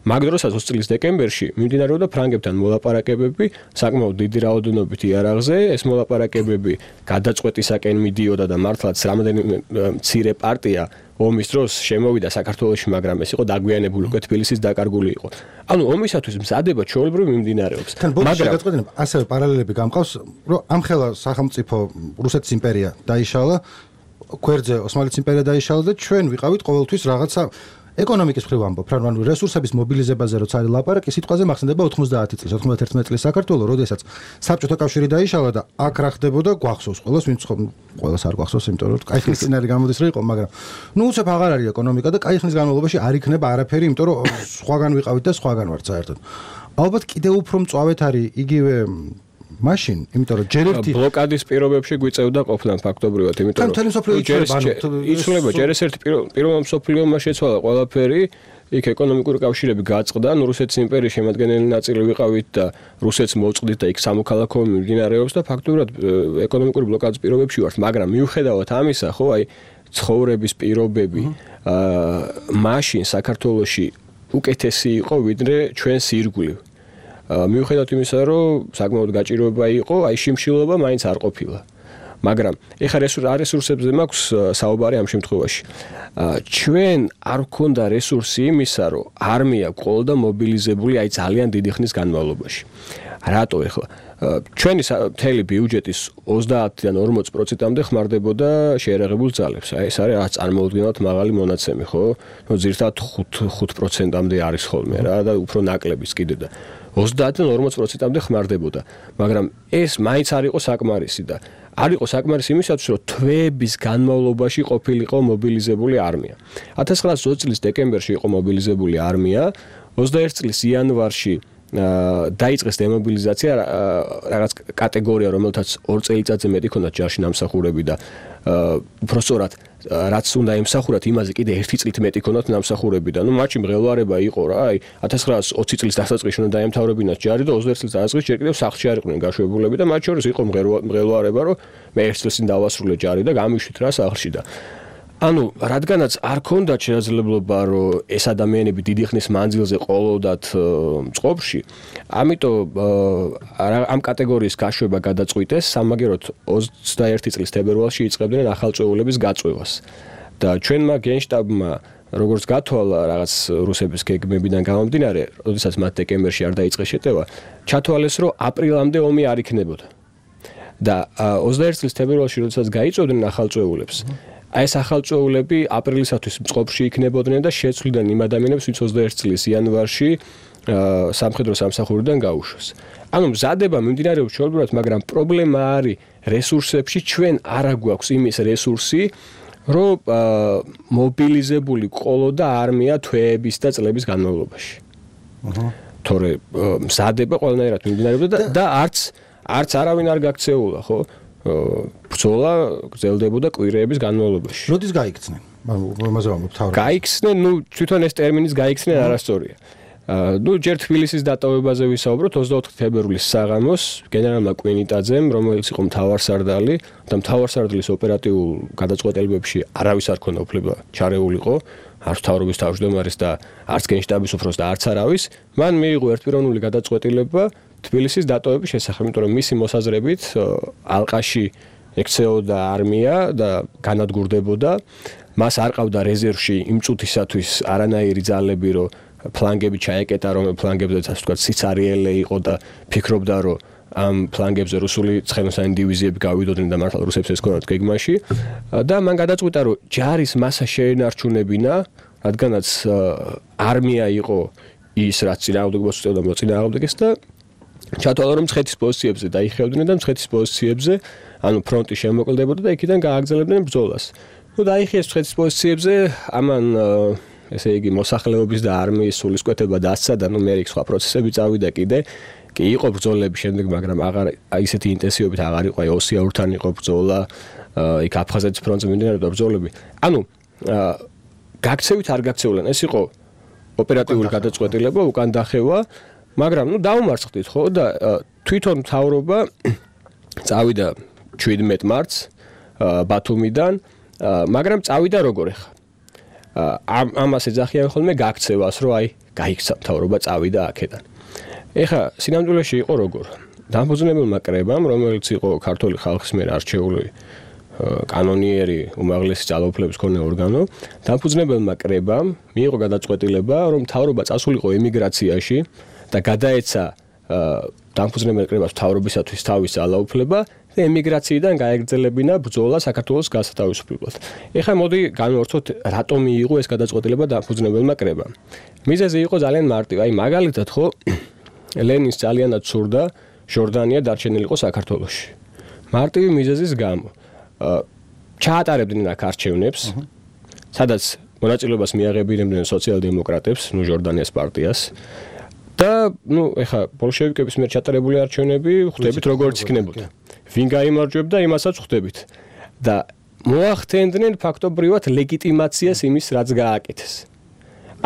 მაგ დროსაც ოცი წლის დეკემბერში მიმდინარეობდა ფრანგებთან მოლაპარაკებები, საკმაოდ დიდი რაოდენობით იარაღზე, ეს მოლაპარაკებები გადაწყვეტისაკენ მიდიოდა და მართლაც რამოდენიმე მცირე პარტია ომის დროს შემოვიდა საქართველოში, მაგრამ ეს იყო დაგვიანებული, უკვე თბილისის დაკარგული იყო. ანუ ომისათვის მზადება ჩვეულებრივ მიმდინარეობს. მაგრამ გადაწყვეტილება ასევე პარალელები გამყავს, რომ ამხელა სახელმწიფო რუსეთის იმპერია დაიშალა, გვერდზე ოსმალეთის იმპერია დაიშალა და ჩვენ ვიყავით ყოველთვის რაღაცა ეკონომიკის მხრივ ამბობ, რა ანუ რესურსების მობილიზებაზე როცა არის ლაპარაკი, სიტყვაზე მახსენდება ოთხმოცდაათი წლის, ოცდაათი წლის საქართველოს, როდესაც საბჭოთა კავშირი დაიშალა და აქ რა ხდებოდა, გვახსოვს ყველას, ვინც ყველას არ გვახსოვს, იმიტომ რომ კაი ხნის წინ არის გამოდის რა იყო, მაგრამ ნუ უცებ აღარ არის ეკონომიკა და კაი ხნის განმავლობაში არ იქნება არაფერი, იმიტომ რომ სხვაგან ვიყავით და სხვაგან ვართ საერთოდ. ალბათ კიდევ უფრო მწვავედ არის იგივე მაშინ, იმიტომ რომ ჯერ ერთი ბლოკადის პირობებში გვიწევდა ყოფნა ფაქტობრივად, იმიტომ რომ იცვლება ჯერ ერთი პირველ მსოფლიო შეცვალა ყველაფერი, იქ ეკონომიკური კავშირები გაწყდა, ნუ რუსეთის იმპერიის შემადგენელი ნაწილი ვიყავით და რუსეთს მოწყდით და იქ სამოქალაქო მიმდინარეობს და ფაქტობრივად ეკონომიკური ბლოკადის პირობებში ვართ, მაგრამ მიუხედავად ამისა, ხო, აი ცხოვრების პირობები აა მაშინ საქართველოში უკეთესი იყო ვიდრე ჩვენს ირგვლივ. მიუხედავად იმისა, რომ საკმაოდ გაჭიროება იყო, აი შიმშილობა მაინც არ ყოფილა. მაგრამ ეხლა რესურსებზე მაქვს საუბარი ამ შემთხვევაში. ჩვენ არ გვქონდა რესურსი იმისა, რომ არმია ყოლდა მობილიზებული აი ძალიან დიდი ხნის განმავლობაში. რატო ეხლა? ჩვენი მთელი ბიუჯეტის ოცდაათიდან ორმოც პროცენტამდე ხმარდებოდა შეერაღებულ ძალებს. აი ეს არის რაც წარმოუდგენლად მაღალი მონაცემი, ხო? ნუ ზირთად ხუთ პროცენტამდე არის ხოლმე რა და უფრო ნაკლებიც კიდე და ოცდაათიდან ორმოც პროცენტამდე ხმარდებოდა. მაგრამ ეს მაინც არ იყო საკმარისი და არ იყო საკმარისი იმისათვის, რომ თვეების განმავლობაში ყოფილიყო მობილიზებული არმია. ათას ცხრაასი ოცდაათი წლის დეკემბერში იყო მობილიზებული არმია, ოცდაერთი წლის იანვარში დაიწყეს დემობილიზაცია რაღაც კატეგორია, რომელთაც ორ წელიწადზე მეტი ჰქონდათ ჯარში ნამსახურები და უბრალოდ რაც უნდა ემსახურათ, იმაზე კიდე ერთი წლით მეტი ჰქონდათ ნამსახურები და ნუ მათში მღელვარება იყო რა, აი ათას ცხრაასი ოცი წლის დასაწყისში უნდა დაემთავრებინათ ჯარი და ოცდაერთი წლის დასაწყისში ჯერ კიდევ სახლში არ იყვნენ გაშვებულები და მათ შორის იყო მღელვარება, რომ მე ერთ წელს წინ დავასრულე ჯარი და გამიშვით რა სახლში და ანუ რადგანაც არ ქონდათ შესაძლებლობა რომ ეს ადამიანები დიდი ხნის მანძილზე ყოლოდათ წყობში, ამიტომ ამ კატეგორიის გაშვება გადაწყვიტეს სამაგეროდ ოცდაერთი წლის თებერვალში იწყებდნენ ახალწეულების გაწვევას. და ჩვენმა გენშტაბმა როგორც გათვალა რაღაც რუსების გეგმებიდან გამომდინარე, როდესაც მათ დეკემბერში არ დაიწყეს შეტევა, ჩათვალეს რომ აპრილამდე ომი არ იქნებოდა. და ოცდაერთი წლის თებერვალში როდესაც გაიწვევდნენ ახალწეულებს, აი ეს ახალწეულები აპრილისათვის წყობში იქნებოდნენ და შეცვლიდნენ იმ ადამიანებს, ვინც ოცდაერთი წლის იანვარში სამხედრო სამსახურიდან გაუშვეს. ანუ მზადება მიმდინარეობს ჩვეულებრივად, მაგრამ პრობლემა არის რესურსებში, ჩვენ არ აგვაქვს იმის რესურსი, რომ მობილიზებული ყოლოდა არმია თვეების და წლების განმავლობაში. აჰა. თორე მზადება ყველანაირად მიმდინარეობდა და არც არც არავინ არ გაქცეულა, ხო? ბრძოლა გრძელდებოდა კვირეების განმავლობაში. როდის გაიქცნენ? ამაზე ვამბობ თავად. გაიქცნენ, ნუ თვითონ ეს ტერმინის გაიქცნენ არასწორია. ნუ ჯერ თბილისის დატოვებაზე ვისაუბროთ ოცდაოთხი თებერვლის საღამოს გენერალმა კვინიტაძემ, რომელიც იყო მთავარსარდალი და მთავარსარდლის ოპერატიულ გადაწყვეტილებებში არავის არ ქონდა უფლება ჩარეულიყო, არც მთავრობის თავმჯდომარის და არც გენშტაბის უფროს და არც არავის, მან მიიღო ერთპიროვნული გადაწყვეტილება თბილისის დატოვების შესახებ, იმიტომ რომ მისი მოსაზრებით ალყაში ექცეოდა არმია და განადგურდებოდა, მას არ ყავდა რეზერვში იმ წუთისათვის არანაირი ძალები, რომ ფლანგები ჩაეკეტა, რომ ფლანგებზე ასე ვთქვათ სიცარიელე იყო და ფიქრობდა, რომ ამ ფლანგებზე რუსული ცხენოსანი დივიზიები გავიდოდნენ და მართლა რუსებს ესქონათ გეგმაში და მან გადაწყვიტა, რომ ჯარის მასა შეენარჩუნებინა, რადგანაც არმია იყო ის, რაც წინააღმდეგობას უწევდა მოწინააღმდეგეს და ჩათვალა, რომ მცხეთის პოზიციებზე დაიხევდნენ და მცხეთის პოზიციებზე, ანუ ფრონტი შემოკლდებოდა და იქიდან გააგრძელებდნენ ბრძოლას. ნუ დაიხიეს მცხეთის პოზიციებზე, ამან ესე იგი მოსახლეობის და არმიის სულისკვეთება დასცა და ნუ მე იქ სხვა პროცესები წავიდა კიდე. კი იყო ბრძოლები შემდეგ, მაგრამ აღარ ისეთი ინტენსივობით აღარ იყო, აი ოსიაურთან იყო ბრძოლა, იქ აფხაზეთის ფრონტზე მიმდინარეობდა ბრძოლები. ანუ გაქცევით არ გაქცეულან, ეს იყო ოპერატიული გადაწყვეტილება, უკან დახევა, მაგრამ ნუ დაუმარცხდით ხო და თვითონ მთავრობა წავიდა შვიდმეტ მარტს ბათუმიდან, მაგრამ წავიდა როგორ ახლა? ამ ამას ეძახიან ხოლმე გაქცევას, რომ აი გაიქცა მთავრობა წავიდა აქედან. ეხლა სინამდვილეში იყო როგორ? დამფუძნებელმა კრებამ, რომელიც იყო ქართული ხალხის მიერ არჩეული კანონიერი უმაღლესი ძალაუფლების მქონე ორგანო, დამფუძნებელმა კრებამ მიიღო გადაწყვეტილება, რომ მთავრობა წასულიყო ემიგრაციაში და გადაეცა დამფუძნებელ კრებას მთავრობისათვის თავის ძალაუფლება და ემიგრაციიდან გაეგრძელებინა ბრძოლა საქართველოს გასათავისუფლებლად. ეხლა მოდი განვავრცოთ, რატომ მიიღო ეს გადაწყვეტილება დამფუძნებელმა კრებამ. მიზეზი იყო ძალიან მარტივი. აი მაგალითად ხო ლენინს ძალიანად სურდა ჟორდანია დარჩენილიყო საქართველოში. მარტივი მიზეზის გამო. ჩაატარებდნენ აქ არჩევნებს, სადაც მონაწილეობას მიაღებინებდნენ სოციალ-დემოკრატებს, ნუ ჟორდანიას პარტიას. და ნუ ეხა ბოლშევიკების მიერ ჩატარებული არჩევნები ხვდებით როგორც იქნებოდა. ვინ გაიმარჯვებდა, იმასაც ხვდებით. და მოახდენდნენ ფაქტობრივად ლეგიტიმაციას იმის, რაც გააკეთეს.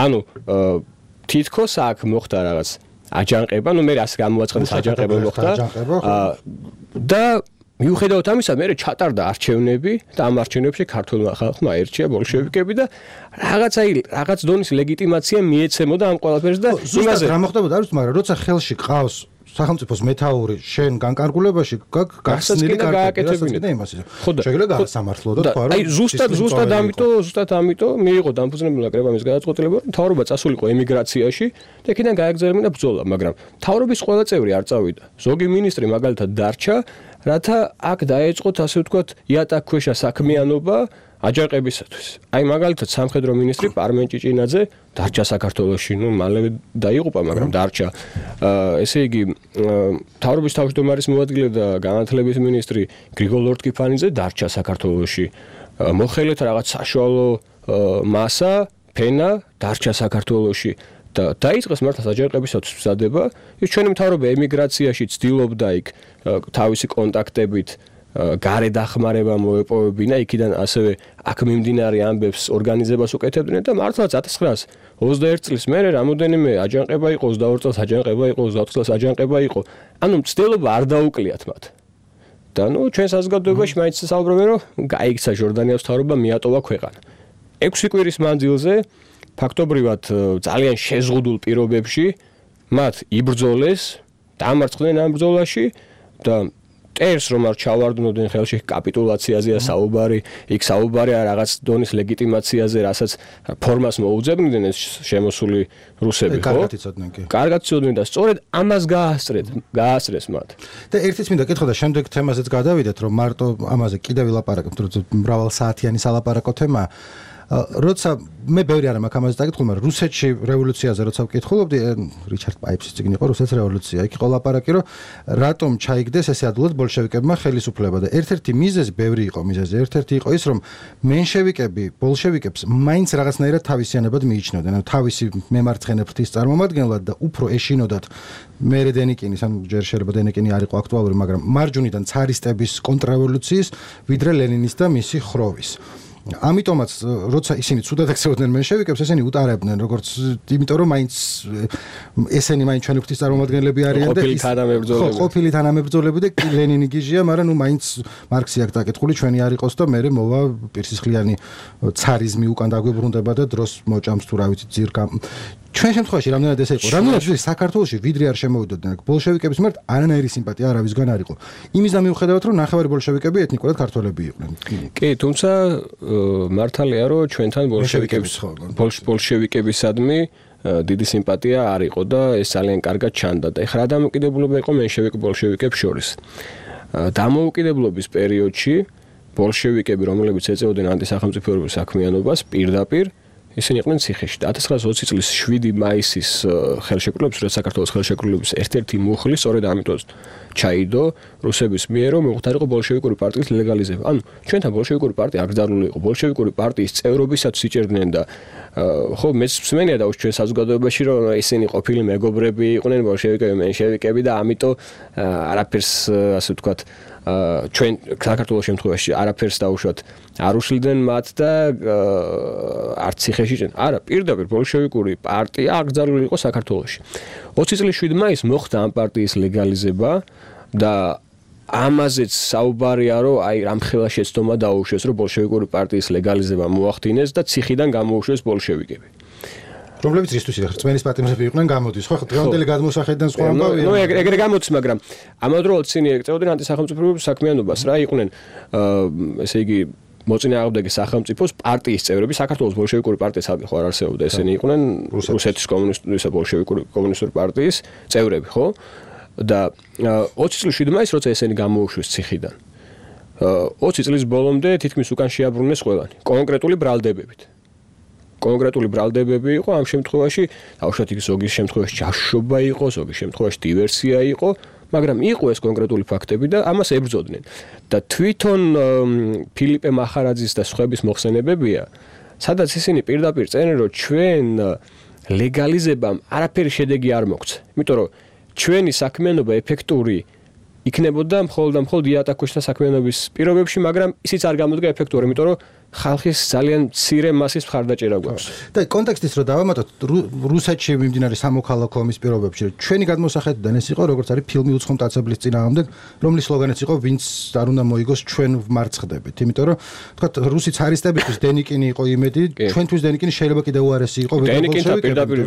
ანუ თითქოს აქ მოხდა რაღაც აჯანყება, ნუ მე რას გამოაცხადეს აჯანყება მოხდა. და მიუხედავად ამისა, მე ჩატარდა არჩევნები და ამ არჩევნებში ქართულმა ხალხმა აირჩია ბოლშევიკები და რაღაც აი რაღაც დონის ლეგიტიმაცია მიეცემოდა ამ ყველაფერს და იმაზე რა მოხდებოდა არის, მაგრამ როცა ხელში ყავს სახელმწიფოს მეთაური შენ განკარგულებაში გახსნილი კარტები და იმას შეიძლება გასამართლო და თქვა რომ აი ზუსტად ზუსტად ამიტომ ზუსტად ამიტომ მიიღო დამფუძნებელმა კრებამ ეს გადაწყვეტილება რომ მთავრობა წასულიყო ემიგრაციაში და იქიდან გაეგრძელებინა ბრძოლა, მაგრამ მთავრობის ყველა წევრი არ წავიდა. ზოგი მინისტრი მაგალითად დარჩა, რათა აქ დაეწყოთ ასე ვთქვათ იატაკქვეშა საქმიანობა აჯანყებისათვის. აი მაგალითად სამხედრო მინისტრი პარმენ ჭიჭინაძე დარჩა საქართველოში, ნუ მალევე დაიღუპა, მაგრამ დარჩა. ესე იგი მთავრობის თავმჯდომარის მოადგილე და განათლების მინისტრი გრიგოლ ლორთქიფანიძე დარჩა საქართველოში. მოხელეთ რაღაც საშუალო მასა, ფენა დარჩა საქართველოში. და დაიწყეს მართლაც აჯანყებისათვის მზადება. ის ჩვენი მთავრობა ემიგრაციაში ცდილობდა იქ თავისი კონტაქტებით გარე დახმარება მოეპოვებინა, იქიდან ასევე აქ მიმდინარე ამბებს ორგანიზებას უკეთებდნენ და მართლაც ათას ცხრაას ოცდაერთი წლის მერე რამოდენიმე აჯანყება იყო, ოცდაორი წელს აჯანყება იყო, ოცდაოთხ წელს აჯანყება იყო. ანუ მცდელობა არ დაუკლიათ მათ. და ნუ ჩვენ საზოგადოებაში მაინც საუბრობენ, რომ გაიქცა ჟორდანიას მთავრობა, მიატოვა ქვეყანა. ექვსი კვირის მანძილზე ფაქტობრივად ძალიან შეზღუდულ პირობებში მათ იბრძოლეს, დამარცხდნენ ამ ბრძოლაში და ტერს რომ არ ჩავარდნოდნენ ხელში კაპიტულაციაზეა საუბარი, იქ საუბარია რაღაც დონის ლეგიტიმაციაზე, რასაც ფორმას მოუძებნდნენ ეს შემოსული რუსები, ხო? კარგად იცოდნენ კი. კარგად იცოდნენ და სწორედ ამას გაასწრეთ, გაასწრეს მათ. და ერთიც მინდა კითხო და შემდეგ თემაზეც გადავიდეთ, რომ მარტო ამაზე კიდევ ვილაპარაკებთ, თორემ მრავალ საათიანი სალაპარაკო თემაა. როცა მე ბევრი არ მაქვს ამაზე დაკითხული, მაგრამ რუსეთში რევოლუციაზე როცა ვკითხულობდი, რიჩარდ პაიპსის წიგნი იყო რუსეთის რევოლუცია. იქ იყო ლაპარაკი, რომ რატომ ჩაიგდეს ესე ადვილად ბოლშევიკებმა ხელისუფლება და ერთ-ერთი მიზეზი, ბევრი იყო მიზეზი, ერთ-ერთი იყო ის, რომ მენშევიკები ბოლშევიკებს მაინც რაღაცნაირად თავისიანებად მიიჩნევდნენ, ანუ თავისი მემარცხენე ფრთის წარმომადგენლად და უფრო ეშინოდათ მერე დენიკინის, ანუ ჯერ შეიძლება დენიკინი არ იყო აქტუალური, მაგრამ მარჯვნიდან ცარისტების კონტრრევოლუციის, ვიდრე ლენინის და მისი ხროვის. ამიტომაც როცა ისინი ცუდად ექცეოდნენ მენშევიკებს, ესენი უტარებდნენ, როგორც იმიტომ რომ მაინც ესენი მაინც ჩვენი ფრთის წარმომადგენლები არიან და ხო, ყოფილი თანამებრძოლები და ლენინი გიჟია, მაგრამ ნუ მაინც მარქსი აქვს დაკითხული, ჩვენი არ იყოს და მერე მოვა პირსისხლიანი ცარიზმი უკან დაგვიბრუნდება და დროს მოჭამს თუ რა ვიცი ძირკა. ჩვენ შემთხვევაში რამდენად ესე იყო, რამდენად საქართველოში ვიდრე არ შემოვიდოდნენ ბოლშევიკების მიმართ არანაირი სიმპათია არავისგან არ იყო. იმის და მიუხედავად რომ ნახევარი ბოლშევიკები ეთნიკურად ქართველები იყვნენ. კი, თუმცა მართალია რომ ჩვენთან ბოლშევიკების ბოლშევიკებისადმი დიდი სიმპათია არ იყო და ეს ძალიან კარგად ჩანდა და ეხლა დამოუკიდებლობა იყო მენშევიკ ბოლშევიკებს შორის. დამოუკიდებლობის პერიოდში ბოლშევიკები, რომლებიც ეწეოდნენ ანტისახელმწიფოებრივ საქმიანობას, პირდაპირ ისინი იყვნენ ციხეში. ათას ცხრაას ოცი წლის შვიდი მაისის ხელშეკრულების, როცა საქართველოს ხელშეკრულების ერთ-ერთი მუხლი სწორედ ამიტომ ჩაიდო რუსების მიერ, რომ მოხდარიყო ბოლშევიკური პარტიის ლეგალიზება. ანუ ჩვენთან ბოლშევიკური პარტია არ გზარული იყო, ბოლშევიკური პარტიის წევრობისაც იჭერდნენ და ხო, მეც მსმენია და ჩვენ საზოგადოებაში, რომ ისინი ყოფილი მეგობრები იყვნენ ბოლშევიკები, მენშევიკები და ამიტომ არაფერს ასე ვთქვათ ჩვენ საქართველოს შემთხვევაში არაფერს დაუშვათ არ უშლიდნენ მათ და არც ციხეში ჭენ. არა, პირდაპირ ბოლშევიკური პარტია აკრძალული იყო საქართველოში. ოცი წლის შვიდი მაისს მოხდა ამ პარტიის ლეგალიზება და ამაზეც საუბარია, რომ აი რამხელა შეცდომა დაუშვეს, რომ ბოლშევიკური პარტიის ლეგალიზება მოახდინეს და ციხიდან გამოუშვეს ბოლშევიკები. რომლებიც რისთვის იხარ წმენის პატიმრები იყვნენ გამოდის, ხო? დღევანდელი გადმოსახედიდან სხვა ამბავია. ნუ ეგრე გამოდის, მაგრამ ამავდროულად ისინი ეწეოდნენ ანტისახელმწიფოებრივ საქმიანობას რა, იყვნენ ესე იგი მოწინააღმდეგე სახელმწიფოს პარტიის წევრები, საქართველოს ბოლშევიკური პარტიის ალგე ხო არ არსებობდა, ესენი იყვნენ რუსეთის კომუნისტური და ბოლშევიკური კომუნისტური პარტიის წევრები, ხო? და ოცი წლის შვიდმა ის როცა ესენი გამოუშვეს ციხიდან. ოცი წლის ბოლომდე თითქმის უკან შეაბრუნეს ყველანი, კონკრეტული ბრალდებებით. კონკრეტული ბრალდებები იყო ამ შემთხვევაში, დაუშვათ იქ ზოგის შემთხვევაში ჯაშობა იყო, ზოგის შემთხვევაში დივერსია იყო, მაგრამ იყო ეს კონკრეტული ფაქტები და ამას ებრძოდნენ. და თვითონ ფილიპე მახარაძის და სხვების მოხსენებებია, სადაც ისინი პირდაპირ წერენ, რომ ჩვენ ლეგალიზებამ არაფერი შედეგი არ მოგცა. იმიტომ რომ ჩვენი საქმიანობა ეფექტური იქნებოდა მხოლოდ და მხოლოდ იატაკოშთა საქმიანობის პირობებში, მაგრამ ისიც არ გამოდგა ეფექტური, იმიტომ რომ ხალხის ძალიან მცირე მასის მხარდაჭერა გვაქვს. და კონტექსტის რო დავამატოთ, რუსეთში მიმდინარე სამოქალაქო ომის პირობებში, ჩვენი გადმოსახედიდან ეს იყო, როგორც არის ფილმი უცხო მტაცებლის წინააღმდეგ, რომლის სლოგანიც იყო, ვინც არ უნდა მოიგოს, ჩვენ ვმარცხდებით. იმიტომ რომ თქვა რუსი цаრისტებისთვის დენიკინი იყო იმედი, ჩვენთვის დენიკინი შეიძლება კიდევ უარესი იყო, დენიკინთან პირდაპირ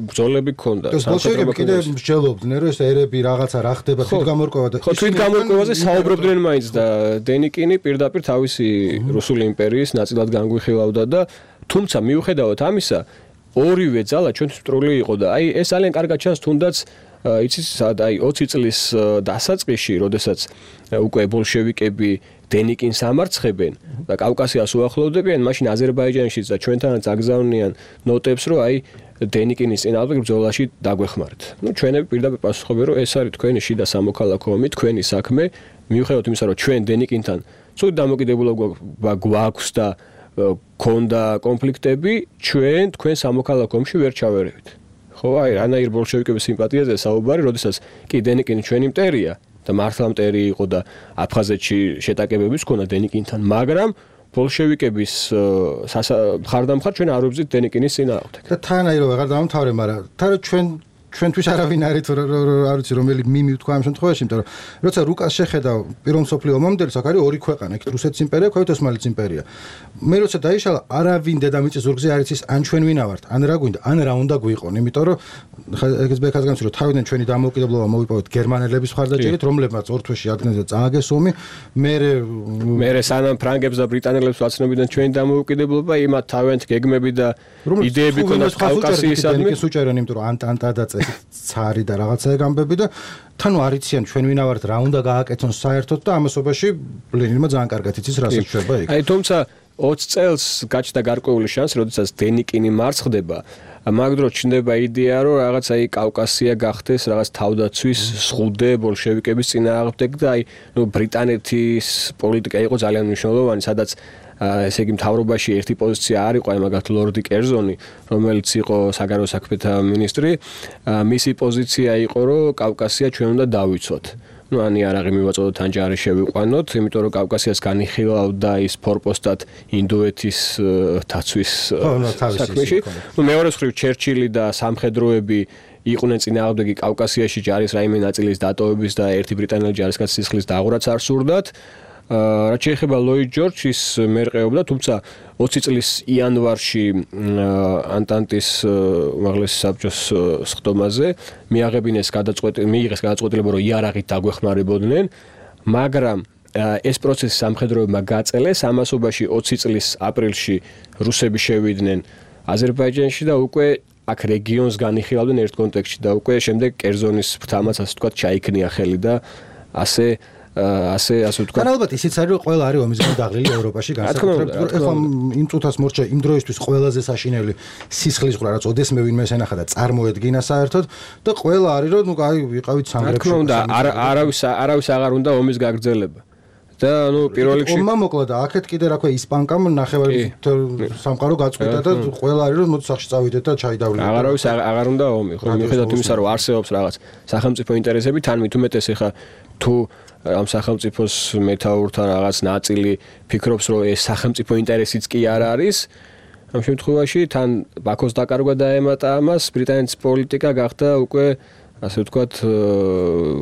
ბრძოლები ჰქონდა. ბოლშევიკები კიდევ მსჯელობდნენ, რომ ეს ერები რაღაცა რა ხდება, თვით გამორკვევა და ხო, თვით გამორკვევაზე საუბრობდნენ მაინც და დენიკინი პირდაპირ თავისი რუსული იმპერიის ნაწილად განგვიხილავდა და თუმცა მიუხედავად ამისა ორივე ძალა ჩვენთვის მტრული იყო და აი ეს ძალიან კარგად ჩანს თუნდაც იცით აი ოცი წლის დასაწყისში როდესაც უკვე ბოლშევიკები დენიკინს ამარცხებენ და კავკასიას უახლოვდებიან მაშინ აზერბაიჯანშიც და ჩვენთანაც აგზავნიან ნოტებს რომ აი დენიკინის წინააღმდეგ ბრძოლაში დაგვეხმართ. ნუ ჩვენები პირდაპირ პასუხობენ რომ ეს არის თქვენი შიდა სამოქალაქო ომი, თქვენი საქმე, მიუხედავად იმისა რომ ჩვენ დენიკინთან ცუდ დამოკიდებულება გვაქვს და ქონდა კონფლიქტები, ჩვენ თქვენ სამოქალაქო ომში ვერ ჩავერევით. ხო, აი, რანაირ ბოლშევიკების სიმპათიაზე საუბარი, როდესაც კი დენიკინი ჩვენი მტერია და მართლა მტერი იყო და აფხაზეთში შეტაკებებიც ქონდა დენიკინთან, მაგრამ ბოლშევიკების მხარდამხარ ჩვენ არ ვიბრძვით დენიკინის წინააღმდეგ. და თან აი რომ აღარ დავამთავრე, მაგრამ თან ჩვენ ჩვენთვის არავინ არის თუ არ ვიცი რომელი მიმი ვთქვა ამ შემთხვევაში, იმიტომ რომ როცა რუკას შეხედა პირველ მსოფლიო ომამდე, აქ არის ორი ქვეყანა, იქ რუსეთის იმპერია, ქვევით ოსმალეთის იმპერია. მე როცა დაიშალა, არავინ დედამიწის ზურგზე არ იცის ან ჩვენ ვინა ვართ, ან რა გვინდა, ან რა უნდა გვიყონ, იმიტომ რომ ეგეც ბეკას განცი რომ თავიდან ჩვენი დამოუკიდებლობა მოვიპოვეთ გერმანელების მხარდაჭერით, რომლებმაც ორ თვეში ადგილზე წააგეს ომი, მე მე სანამ ფრანგებს და ბრიტანელებს ვაცნობდნენ ჩვენი დამოუკიდებლობა, იმათ თავიანთ გეგმები და იდეები ქონდათ კავკასიისადმი, ის უჭერენ, იმიტომ რომ ანტანტა და ცარი და რაღაცა ეგამბები და თან არიციან ჩვენ ვინა ვართ რა უნდა გააკეთონ საერთოდ და ამასობაში ლენინმა ძალიან კარგად იცის რასაც შვება იქ. აი თუმცა ოცი წელს გაჩნდა გარკვეული შანსი, როდესაც დენიკინი მარცხდება, მაგ დროს ჩნდება იდეა, რომ რაღაც აი კავკასია გახდეს რაღაც თავდაცვის სხუდე ბოლშევიკების წინააღმდეგ და აი ნუ ბრიტანეთის პოლიტიკა იყო ძალიან მნიშვნელოვანი, სადაც ესე იგი მთავრობაში ერთი პოზიცია არ იყო, აი მაგათ ლორდი კერზონი, რომელიც იყო საგარეო საქმეთა მინისტრი, მისი პოზიცია იყო, რომ კავკასია ჩვენ უნდა დავიცვათ. ნუ ანი არაღი მივაწოდოთ ან ჯარი შევიყვანოთ, იმიტომ რომ კავკასიას განიხილავდა ის ფორპოსტად ინდოეთის დაცვის საქმეში. ნუ მეორე მხრივ ჩერჩილი და სამხედროები იყვნენ წინააღმდეგი კავკასიაში ჯარის რაიმე ნაწილის დატოვების და ერთი ბრიტანელი ჯარისკაცის სისხლის დაღვრაც არ სურდათ. რაც შეეხება ლოიდ ჯორჯის მერყეობდა, თუმცა ოცი წლის იანვარში ანტანტის უმაღლესი საბჭოს სხდომაზე მიაღებინეს გადაწყვეტილება, მიიღეს გადაწყვეტილება, რომ იარაღით დაგვეხმარებოდნენ, მაგრამ ეს პროცესი სამხედროებმა გაწელეს, ამასობაში ოცი წლის აპრილში რუსები შევიდნენ აზერბაიჯანში და უკვე აქ რეგიონს განიხილავდნენ ერთ კონტექსტში და უკვე შემდეგ კერზონის ფრთამაც ასე ვთქვათ ჩაიქნია ხელი და ასე ასე ასე ვთქვათ. და ალბათ ისიც არის, რომ ყველა არის ომის გამო დაღლილი ევროპაში განსაკუთრებით. ეხლა იმ წუთას მორჩა იმ დროისთვის ყველაზე საშინელი სისხლის ყრა, რაც ოდესმე ვინმე ენახა და წარმოედგინა საერთოდ და ყველა არის, რომ ნუ აი ვიყავით სამგრებში. რა თქმა უნდა, არავის არავის აღარ უნდა ომის გაგრძელება. და ნუ პირველ რიგში ომმა მოკლა და აქეთ კიდე რა ქვია ისპანკამ ნახევარი სამყარო გაწყვიტა და ყველა არის, რომ მოდი სახში წავიდეთ და ჩაიდავლეთ. აღარავის აღარ უნდა ომი, ხო, მიუხედავად იმისა, რომ არსებობს რაღაც სახელმწიფო ინტერესები, თან მით უმეტეს ეხა თუ ამ სახელმწიფოს მეთაურთა რაღაც ნაწილი ფიქრობს, რომ ეს სახელმწიფო ინტერესიც კი არ არის. ამ შემთხვევაში თან ბაქოს დაკარგვა დაემატა ამას, ბრიტანეთის პოლიტიკა გახდა უკვე ასე ვთქვათ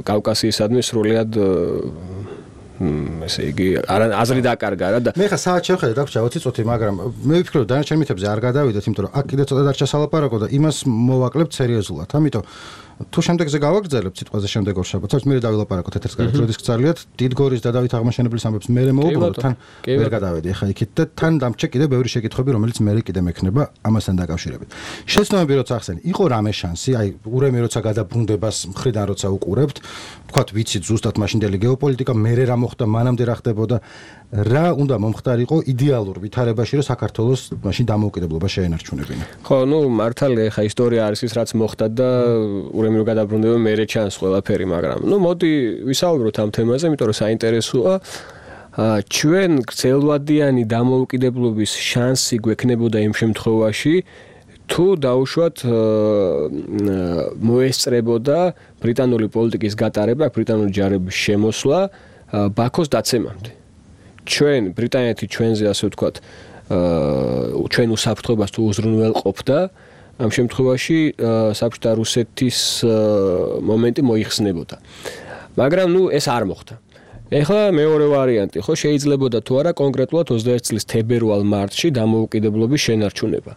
კავკასიისადმი სრულიად ესე იგი აზრი დაკარგა რა და მე ხა საათ შევხედე დაგვრჩა ოცი წუთი, მაგრამ მე ვფიქრობ დანარჩენ მითებზე არ გადავიდეთ, იმიტომ რომ აქ კიდე ცოტა დარჩა სალაპარაკო და იმას მოვაკლებთ სერიოზულად. ამიტომ თუ შემდეგზე გავაგრძელებთ სიტყვაზე შემდეგ ორშაბათს, მე დავილაპარაკოთ ეთერს გარეთ, როდის გწალიათ დიდგორის და დავით აღმაშენებლის ამბებს მე მოვუბრუნოთ, თან ვერ გადავედი ახლა იქით და თან დამჭე კიდე ბევრი შეკითხვები, რომელიც მე კიდე მექნება ამასთან დაკავშირებით. შეცდომები როცა ახსენე, იყო რამე შანსი, აი ურემი როცა გადაბრუნდებას მხრიდან როცა უყურებთ, ვთქვათ ვიცით ზუსტად მაშინდელი გეოპოლიტიკა, მე რა მოხდა, მანამდე რა ხდებოდა, რა უნდა მომხდარიყო იდეალურ ვითარებაში, რომ საქართველოს მაშინ დამოუკიდებლობა შეენარჩუნებინა. ხო, ნუ მართალია ხა ისტორია არის ის რაც მოხდა და ურემი რო გადაბრუნდება მერე ჩანს ყველაფერი, მაგრამ ნუ მოდი ვისაუბროთ ამ თემაზე, იმიტომ რომ საინტერესოა. ჩვენ გრძელვადიანი დამოუკიდებლობის შანსი გვექნებოდა იმ შემთხვევაში, თუ დაუშვათ მოესწრებოდა ბრიტანული პოლიტიკის გატარება, ბრიტანული ჯარების შემოსვლა ბაქოს დაცემამდე. ჩვენ ბრიტანეთი ჩვენზე ასე ვთქვათ, ჩვენ უსაფრთხოებას თუ უზრუნველყოფდა, ამ შემთხვევაში საბჭოთა რუსეთის მომენტი მოიხსნებოდა. მაგრამ ნუ ეს არ მოხდა. ეხლა მეორე ვარიანტი, ხო, შეიძლებოდა თუ არა კონკრეტულად ოცდაერთი წლის თებერვალ-მარტში დამოუკიდებლობის შენარჩუნება.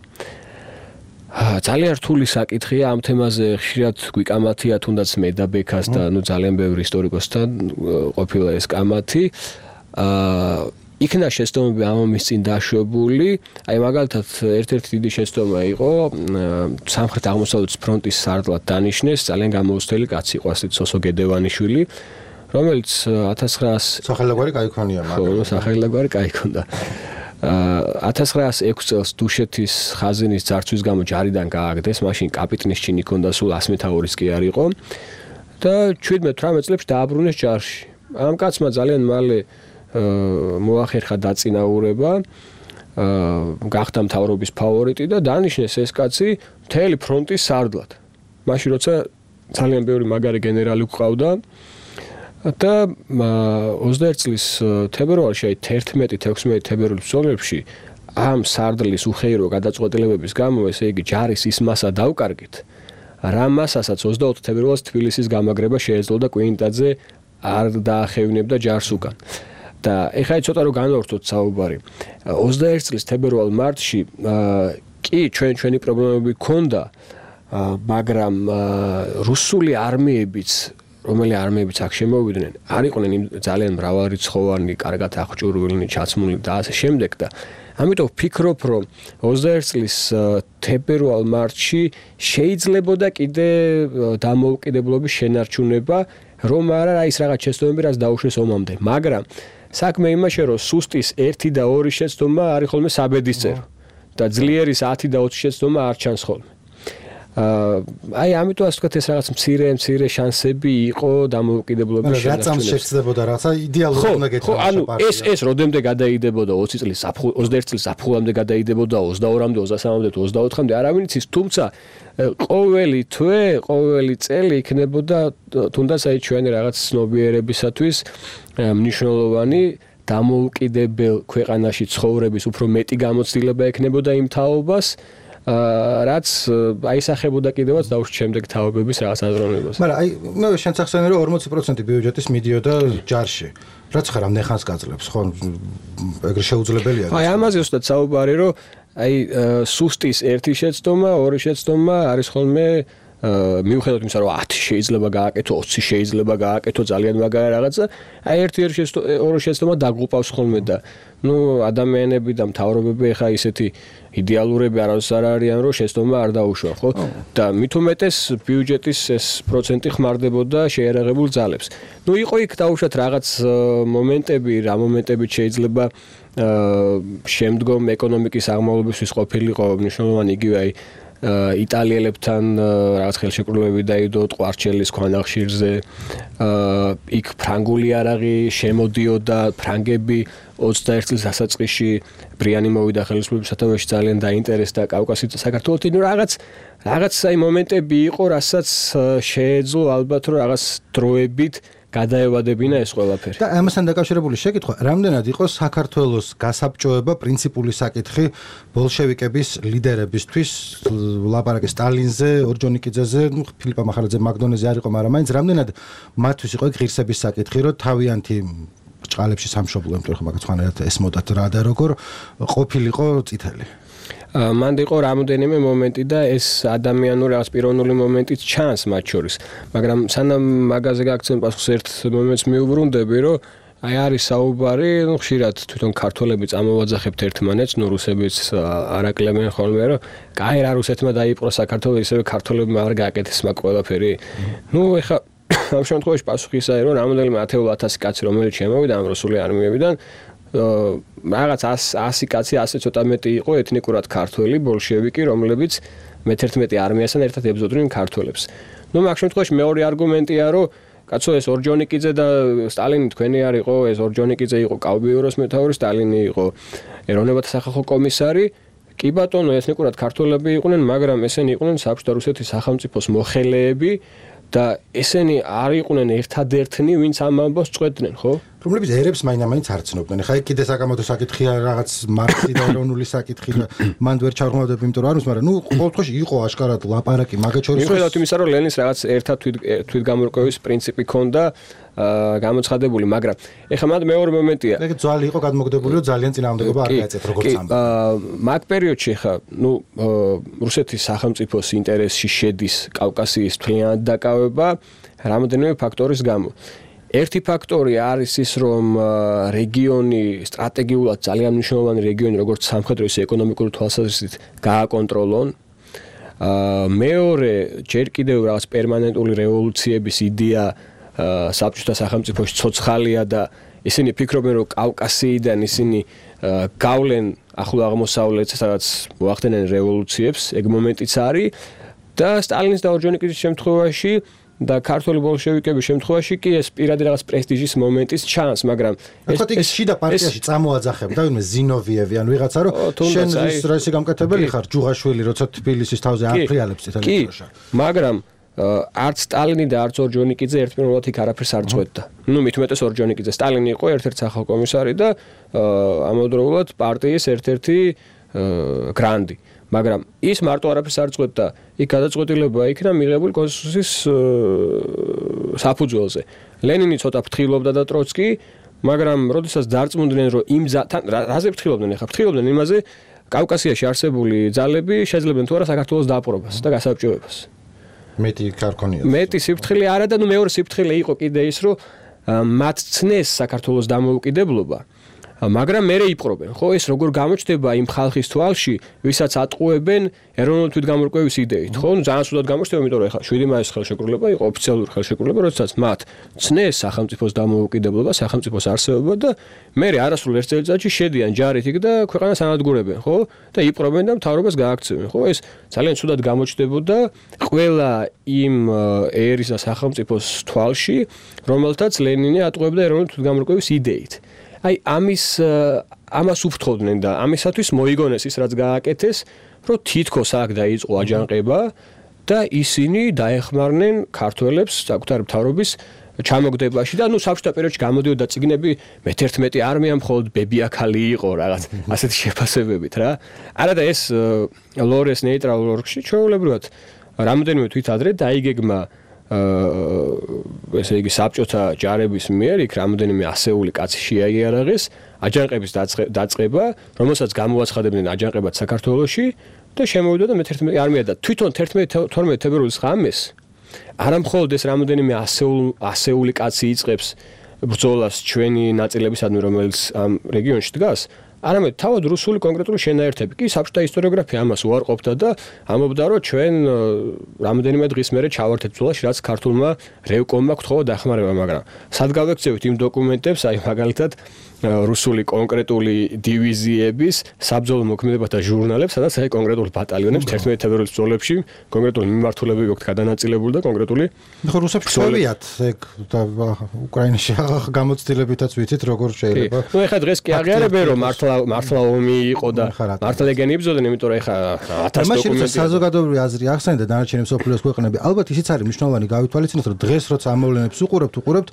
ძალიან რთული საკითხია ამ თემაზე ხშირად გვიკამათია თუნდაც მე და ბექას და ნუ ძალიან ბევრი ისტორიკოსთან ყოფილა ეს კამათი. აა იქნა შეცდომები ამ ომის წინ დაშვებული, აი მაგალითად ერთ-ერთი დიდი შეცდომა იყო სამხრეთ აღმოსავლეთის ფრონტის სარდლად დანიშნეს ძალიან გამოუცდელი კაცი იყო ასეთ სოსო გედევანიშვილი, რომელიც ათას ცხრაასი სახელგვარი кайქონია მაგრამ ხო სახელგვარი кайქონდა. ათას ცხრაასი ექვსი წელს დუშეთის ხაზინის ძარცვის გამო ჯარიდან გააგდეს, მაშინ კაპიტნის ჩინი ჰქონდა, სულ ასმეთაურის კი არ იყო და ჩვიდმეტ თვრამეტ წლებში დააბრუნეს ჯარში. ამ კაცმა ძალიან მალე მოახერხა დაწინაურება, გახდა მთავრობის ფავორიტი და დანიშნეს ეს კაცი მთელი ფრონტის სარდლად. მაშინ როცა ძალიან ბევრი მაგარი გენერალი გვყავდა და ოცდაერთი წლის თებერვალში, აი თერთმეტი თექვსმეტი თებერვლის ბრძოლებში ამ სარდლის უხეირო გადაწყვეტილებების გამო, ესე იგი ჯარის ის მასა დავკარგით, რა მასასაც ოცდაოთხ თებერვალს თბილისის გამაგრება შეეძლო და კვინტაძე არ დაახევნებდა ჯარს უკან. და ეხლა ცოტა რომ განვართოთ საუბარი. ოცდაერთი წლის თებერვალ-მარტში კი ჩვენ ჩვენი პრობლემები ქონდა, მაგრამ რუსული არმიებიც, რომელი არმიებიც აქ შემოვიდნენ, არ იყვნენ ძალიან მრავალრიცხოვანი, კარგად აღჭურვილნი, ჩაცმული და ასე შემდეგ და ამიტომ ვფიქრობ, რომ ოცდაერთი წლის თებერვალ-მარტში შეიძლებოდა კიდე დამოუკიდებლობის შენარჩუნება, რომ არა ის რაღაც შეცდომები, რაც დაუშვეს ომამდე, მაგრამ საქმე იმაშია, რომ სუსტის ერთი და ორი შეცდომა არის ხოლმე საბედისწერო და ძლიერის ათი და ოცი შეცდომა არ ჩანს ხოლმე. აი ამიტომ ასე ვთქვათ ეს რაღაც მცირე მცირე შანსები იყო დამოუკიდებლობის შენარჩუნებაში. რა წამს შეცდებოდა რაღაცა იდეალური უნდა გეთქვა. ხო, ანუ ეს ეს როდემდე გადაიდებოდა ოცი წლის ოცდაერთი წლის საფუძვლამდე გადაიდებოდა ოცდაორმამდე, ოცდასამამდე, ოცდაოთხამდე, არავინ იცის, თუმცა ყოველი თვე, ყოველი წელი იქნებოდა თუნდაც აი ჩვენი რაღაც ცნობიერებისათვის მნიშვნელოვანი დამოუკიდებელ ქვეყანაში ცხოვრების უფრო მეტი გამოცდილება ექნებოდა იმ თაობას, რაც აისახებოდა კიდევაც დაუშვით შემდეგ თაობების რაღაც აზროვნებას. მაგრამ აი მე შენც ახსენე რომ ორმოცი პროცენტი ბიუჯეტის მიდიოდა ჯარში. რაც ხარ ამ ნეხანს გაძლევს, ხო? ეგრე შეუძლებელია. აი ამაზე უბრალოდ საუბარი რომ აი სუსტის ერთი შეცდომა, ორი შეცდომა არის ხოლმე მიუხედავად იმისა, რომ ათი შეიძლება გააკეთო, ოცი შეიძლება გააკეთო, ძალიან მაგარი რაღაცა, აი ერთი ორი შეცდომა დაგუყავს ხოლმე და ნუ ადამიანები და მთავრობები ეხა ისეთი იდეალურები არავის არ არიან, რომ შეცდომა არ დაუშვა, ხო? და მით უმეტეს ბიუჯეტის ეს პროცენტი ხმარდებოდა შეერაღებულ ძალებს. ნუ იყო იქ დაუშვათ რაღაც მომენტები, რა მომენტებით შეიძლება შემდგომ ეკონომიკის აღმავლობისთვის ყოფილიყო მნიშვნელოვანი იგივე აი იტალიელებთან რაღაც ხელშეკრულებები დაიდო ტყვარჩელის ქვანახშირზე, იქ ფრანგული იარაღი შემოდიოდა, ფრანგები ოცდაერთი წლის დასაწყისში ბრიანი მოვიდა ხელისუფლების სათავეში, ძალიან დაინტერესდა კავკასიის და საქართველოს. ნუ რაღაც რაღაც აი მომენტები იყო, რასაც შეეძლო ალბათ რომ რაღაც დროებით გადაევადებინა ეს ყველაფერი. და ამასთან დაკავშირებული შეკითხვა, რამდენად იყო საქართველოს გასაბჭოება პრინციპული საკითხი ბოლშევიკების ლიდერებისთვის, ლაპარაკი სტალინზე, ორჯონიკიძეზე, ნუ ფილიპა მახარაძე, მაგდონეზე არ იყო, მაგრამ მაინც რამდენად მათთვის იყო ღირსების საკითხი, რომ თავიანთი ჭყალებში სამშობლო იმიტომ ხომ მაგაც ხანერად ესმოდათ რა და როგორ ყოფილიყო წითელი მანდ იყო რამოდენიმე მომენტი და ეს ადამიანური რაღაც პიროვნული მომენტიც ჩანს მათ შორის მაგრამ სანამ მაგაზე გაქცენ პასუხს ერთ მომენტს მიუბრუნდები რომ აი არის საუბარი ნუ ხშირად თვითონ ქართველები წამოვაძახებთ ერთმანეთს ნუ რუსებიც არაკლებენ ხოლმე რომ კაი რა რუსეთმა დაიპყრო საქართველო ისევე ქართველებმა არ გააკეთეს მაგ ყველაფერი ნუ ეხა ამ შემთხვევაში პასუხი ისაა რომ რამოდენიმე ათეულ ათასი კაცი რომელიც შემოვიდა ამ რუსული არმიებიდან რაღაც ასი კაცი ასე ცოტა მეტი იყო ეთნიკურად ქართველი ბოლშევიკი რომლებიც მეთერთმეტე არმიასთან ერთად ებრძოდნენ ქართველებს ნუ მაგ შემთხვევაში მეორე არგუმენტია რომ კაცო ეს ორჯონიკიძე და სტალინი თქვენი არ იყო ეს ორჯონიკიძე იყო კავბიუროს მეთაური სტალინი იყო ეროვნებათა სახალხო კომისარი კი ბატონო ეთნიკურად ქართველები იყვნენ მაგრამ ესენი იყვნენ საბჭოთა რუსეთის სახელმწიფოს მოხელეები და ესენი არ იყვნენ ერთადერთნი ვინც ამ ამბავს წყვეტდნენ ხო რომლებიც ერებს მაინამაინც არ ცნობდნენ ხა იქ კიდე საკამათო საკითხია რაღაც მარქსი და ეროვნული საკითხი და მანდ ვერ ჩავღმავდები იმიტომ რომ არ ვიცი მაგრამ ნუ ყოველ შემთხვევაში იყო აშკარად ლაპარაკი მაგათ შორის მიხედავთ იმისა რომ ლენინს რაღაც ერთად თვითგამორკვევის პრინციპი ჰქონდა გამოცხადებული მაგრამ ეხლა მანდ მეორე მომენტია ეგ ძვალი იყო გადმოგდებული რომ ძალიან წინააღმდეგობა არ გაეწეთ როგორც ამბობ მაგ პერიოდში ხა ნუ რუსეთის სახელმწიფოს ინტერესში შედის კავკასიის მთლიანად დაკავება რამოდენიმე ფაქტორის გამო ერთი ფაქტორი არის ის რომ რეგიონი სტრატეგიულად ძალიან მნიშვნელოვანი რეგიონი როგორც სამხედრო ისე ეკონომიკური თვალსაზრისით გააკონტროლონ მეორე ჯერ კიდევ რაღაც პერმანენტული რევოლუციების იდეა საბჭოთა სახელმწიფოში ცოცხალია და ისინი ფიქრობენ რომ კავკასიიდან ისინი გავლენ ახლო აღმოსავლეთს სადაც მოახდენენ რევოლუციებს ეგ მომენტიც არის და სტალინის და ორჯონიკიძის შემთხვევაში და ქართული ბოლშევიკების შემთხვევაში კი ეს პირადი რაღაც პრესტიჟის მომენტის ჩანს, მაგრამ ეს ეს შიდა პარტიაში წამოაძახებდა ვინმე ზინოვიევი ან ვიღაცა რომ შენ ის რასი გამკეთებელი ხარ ჯუღაშვილი როცა თბილისის თავზე აფრიალებს წითელ დროშა. მაგრამ არც სტალინი და არც ორჯონიკიძე ერთმანეთად იქ არაფერს არ წყვეტდა. ნუ მით უმეტეს ორჯონიკიძე სტალინი იყო ერთ-ერთი სახალხო კომისარი და ამავდროულად პარტიის ერთ-ერთი გრანდი. მაგრამ ის მარტო არაფერს არ წყვეტდა. იქ გადაწყვეტილება იქნა მიღებული კონსტიტუციის საფუძველზე. ლენინი ცოტა ფრთხილობდა და ტროცკი, მაგრამ როდესაც დარწმუნდნენ რომ იმ თან რაზე ფრთხილობდნენ ახლა ფრთხილობდნენ იმაზე კავკასიაში არსებული ძალები შეძლებენ თუ არა საქართველოს დაპყრობას და გასაბჭოებას. მეტი ქარქონია. მეტი სიფრთხილე არა და ნუ მეორე სიფრთხილე იყო კიდე ის რომ მათ ცნეს საქართველოს დამოუკიდებლობა. მაგრამ მე იპყრობენ, ხო, ეს როგორ გამოჩნდება იმ ხალხის თვალში, ვისაც ატყუებენ ეროვნული თვითგამორკვევის იდეით, ხო? ნუ ძალიან სულად გამოჩნდება, იმიტომ რომ ეხლა შვიდი მაისის ხელშეკრულება იყო ოფიციალური ხელშეკრულება, როდესაც მათ ცნეს სახელმწიფოს დამოუკიდებლობა, სახელმწიფოს არსებობა და მე არასრულ ერთ წელიწადში შედიან ჯარით იქ და ქვეყანას ანადგურებენ, ხო? და იპყრობენ და მთავრობას გააქცევენ, ხო? ეს ძალიან სულად გამოჩნდებოდა ყველა იმ ერის და სახელმწიფოს თვალში, რომელთაც ლენინი ატყუებდა ეროვნული თვითგამორკვევის იდეით. აი ამის ამას უფრთხოდნენ და ამისათვის მოიგონეს ის რაც გააკეთეს, რომ თითქოს აქ დაიწყო აჯანყება და ისინი დაეხმარნენ ქართველებს საკუთარი მთავრობის ჩამოგდებაში და ნუ საბჭოთა პერიოდში გამოდიოდა წიგნები მეთერთმეტე არმია მხოლოდ ბებიაქალი იყო რაღაც ასეთი შეფასებებით რა. არა და ეს ლორეს ნეიტრალურ ორგში ჩვეულებრივად რამოდენიმე თვით ადრე დაიგეგმა ესე იგი საბჭოთა ჯარების მიერ იქ რამოდენიმე ასეული კაცი შეაიარაღეს აჯანყების დაწყება, რომელსაც გამოაცხადებდნენ აჯანყებად საქართველოში და შემოვიდა და მეთერთმეტე არმია და თვითონ თერთმეტ თებერვლის ღამეს არა მხოლოდ ეს რამოდენიმე ასეული კაცი იწყებს ბრძოლას ჩვენი ნაწილებისადმი, რომელიც ამ რეგიონში დგას, არამედ თავად რუსული კონკრეტული შენაერთები კი საბჭოთა ისტორიოგრაფია ამას უარყოფდა და ამბობდა რომ ჩვენ რამოდენიმე დღის მერე ჩავარდეთ ბრძოლაში, რაც ქართულმა რევკომმა გთხოვა დახმარება, მაგრამ სად გავექცევით იმ დოკუმენტებს, აი მაგალითად რუსული კონკრეტული დივიზიების საბრძოლო მოქმედებათა ჟურნალებს, სადაც აი კონკრეტული ბატალიონებს თერთმეტ თებერვლის ბრძოლებში კონკრეტული მიმართულებები აქვს გადანაწილებული და კონკრეტული ხო რუსებს ხსოვიათ ეგ და უკრაინაში გამოცდილებითაც ვიცით როგორ შეიძლება. ნუ ეხლა დღეს კი აღიარებენ რომ მართლა მართლა მართლა ომი იყო და მართლა ეგენი იბრძოდნენ, იმიტომ რომ ეხა ათასი დოკუმენტი. მაშინ საზოგადოებრივი აზრი ახსენე და დანარჩენი მსოფლიოს ქვეყნები. ალბათ ისიც არის მნიშვნელოვანი გავითვალისწინოთ, რომ დღეს როცა ამოვლენებს უყურებთ, უყურებთ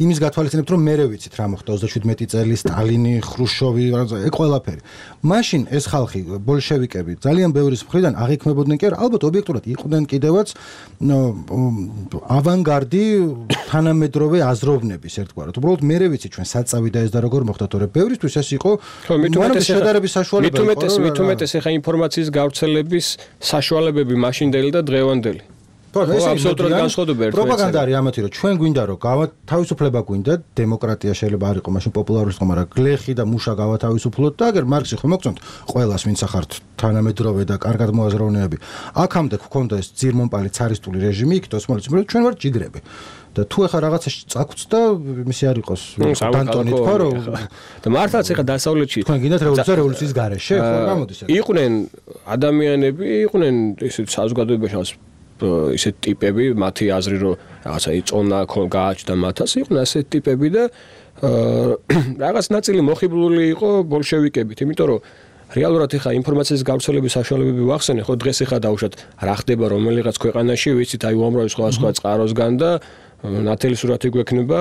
იმის გათვალისწინებთ, რომ მერე ვიცით რა მოხდა ოცდაშვიდმეტი წელი, სტალინი, ხრუშოვი, ეგ ყველაფერი. მაშინ ეს ხალხი, ბოლშევიკები, ძალიან ბევრის მხრიდან აღიქმებოდნენ კი არა, ალბათ ობიექტურად იყვნენ კიდევაც ავანგარდი თანამედროვე აზროვნების ერთგვარად. უბრალოდ მერე ვიცით ჩვენ საწავი და ეს და როგორ მოხდა, თორე ბევრისთვის ეს იყო შედარების საშუალება. მით უმეტეს, მით უმეტეს ეხა ინფორმაციის გავრცელების საშუალებები მაშინდელი და დღევანდელი. აბსოლუტურად განსხვავდება ერთმანეთს. პროპაგანდა არის ამათი, რომ ჩვენ გვინდა რომ თავისუფლება გვინდა, დემოკრატია შეიძლება არ იყოს მაშინ პოპულარული ხომ, მაგრამ გლეხი და მუშა გავათავისუფლოთ და აგერ მარქსი ხომ მოგწონთ ყველას ვინც ახართ თანამედროვე და კარგად მოაზროვნეები. აქამდე გქონდა ეს ძირმომპალი цаრისტული რეჟიმი, იქ ოსმალეთის მიერ ჩვენ ვართ ჯიგრები. და თუ ეხა რაღაცაში წაგვც და მისი არ იყოს დანტონი თქვა რომ და მართლაც ეხა დასავლეთში თქვენ გინდათ რევოლუცია რევოლუციის გარეშე ხო გამოდის ეს იყვნენ ადამიანები იყვნენ ისე საზოგადოებაში ისეთ ტიპები მათი აზრი რომ რაღაცა იწონა გააჩნდა მათას იყვნენ ასეთ ტიპები და რაღაც ნაწილი მოხიბლული იყო ბოლშევიკებით იმიტომ რომ რეალურად ეხა ინფორმაციის გავრცელების საშუალებები ვახსენე ხო დღეს ეხა დაუშვათ რა ხდება რომელიღაც ქვეყანაში ვიცით აი უამრავი სხვა სხვა წყაროსგან და ნათელი სურათი გვექნება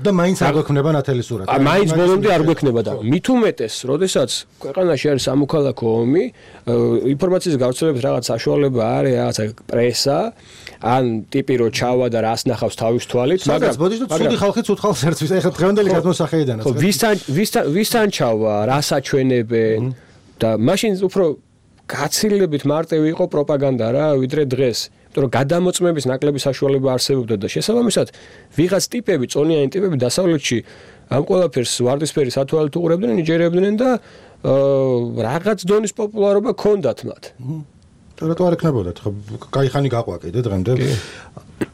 და მაინც არ გვექნება ნათელი სურათი. მაინც ბოლომდე არ გვექნება და მით უმეტეს, როდესაც ქვეყანაში არის სამოქალაქო ომი, ინფორმაციის გავრცელების რაღაც საშუალება არის, რაღაცა პრესა, ან ტიპი რო ჩავა და რას ნახავს თავის თვალით, მაგრამ ბოდიშ და ცუდი ხალხი ცუდ ხალხს ერთვის, ეხლა დღევანდელი გადმოსახედანაც. ხო, ვისთან ვისთან ვისთან ჩავა, რას აჩვენებენ და მაშინ უფრო გაცილებით მარტივი იყო პროპაგანდა რა, ვიდრე დღეს. იმიტომ რომ გადამოწმების ნაკლები საშუალება არსებობდა და შესაბამისად ვიღაც ტიპები, წონიანი ტიპები დასავლეთში ამ ყველაფერს ვარდისფერი სათვალით უყურებდნენ, იჯერებდნენ და რაღაც დონის პოპულარობა ჰქონდათ მათ. და რატო არ ეკნებოდათ? ხო, კაი ხანი გაყვა კიდე დღემდე.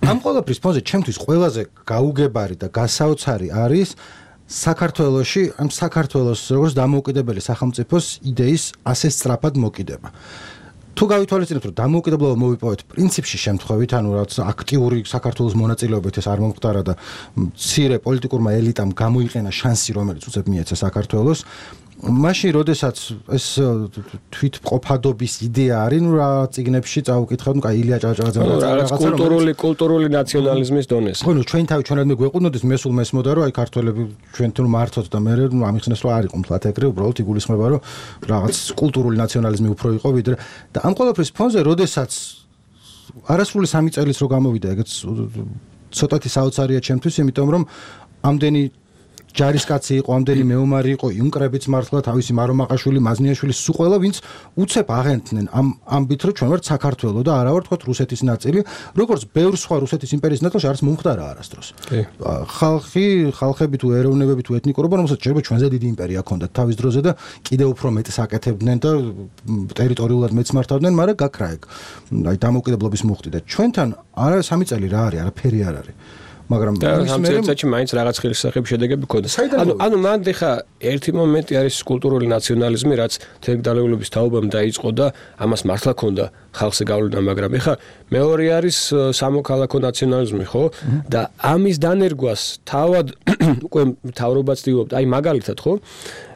ამ ყველაფრის ფონზე ჩემთვის ყველაზე გაუგებარი და გასაოცარი არის საქართველოში, ამ საქართველოს როგორც დამოუკიდებელი სახელმწიფოს იდეის ასე სწრაფად მოკიდება. თუ გავითვალისწინებთ რომ დამოუკიდებლობა მოვიპოვეთ პრინციპში შემთხვევით, ანუ რაც აქტიური საქართველოს მონაწილეობით ეს არ მომხდარა და მცირე პოლიტიკურმა ელიტამ გამოიყენა შანსი, რომელიც უცებ მიეცა საქართველოს, მაშინ როდესაც ეს თვითმყოფადობის იდეა არის, ნუ რა წიგნებში წაუკითხავთ, ნუ კაი ილია ჭავჭავაძე რაღაცა კულტურული კულტურული ნაციონალიზმის დონეზე. ხო, ნუ ჩვენ თავი ჩვენად მე გვეყუდნოდეს, მე სულ მესმოდა რომ აი ქართველები ჩვენ თუ მართოთ და მე ნუ ამიხსნეს რომ არ იყო მთლად ეგრე, უბრალოდ იგულისხმება რომ რაღაც კულტურული ნაციონალიზმი უფრო იყო ვიდრე და ამ ყველაფრის ფონზე როდესაც არასრული სამი წელიც რო გამოვიდა, ეგეც ცოტათი საოცარია ჩემთვის, იმიტომ რომ ამდენი ჯარისკაცი იყო, ამდენი მეომარი იყო, იუნკრებიც მართლა თავისი მარომაყაშვილი, მაზნიაშვილი, სულ ყველა ვინც უცებ აღენთნენ ამ ამბით, რომ ჩვენ ვართ საქართველო და არა ვართ თქო რუსეთის ნაწილი, როგორც ბევრ სხვა რუსეთის იმპერიის ნაწილში არის მომხდარა არასდროს. ხალხი, ხალხები თუ ეროვნებები თუ ეთნიკურობა, რომელსაც შეიძლება ჩვენზე დიდი იმპერია ჰქონდათ თავის დროზე და კიდევ უფრო მეტს აკეთებდნენ და ტერიტორიულად მეც მართავდნენ, მაგრამ გაქრა ეგ. აი დამოუკიდებლობის მუხტი და ჩვენთან არა სამი წელი რა არის, არაფერი არ არის. მაგრამ ამ წელიწადში მაინც რაღაც ხილისახები შედეგები გქონდა. ანუ ანუ მან ხა ერთი მომენტი არის კულტურული ნაციონალიზმი, რაც თერგდალეულობის თაობამ დაიწყო და ამას მართლა ჰქონდა ხალხზე გავლენა, მაგრამ ხა მეორე არის სამოქალაქო ნაციონალიზმი, ხო? და ამის დანერგვას თავად უკვე მთავრობა ცდილობდა, აი მაგალითად, ხო?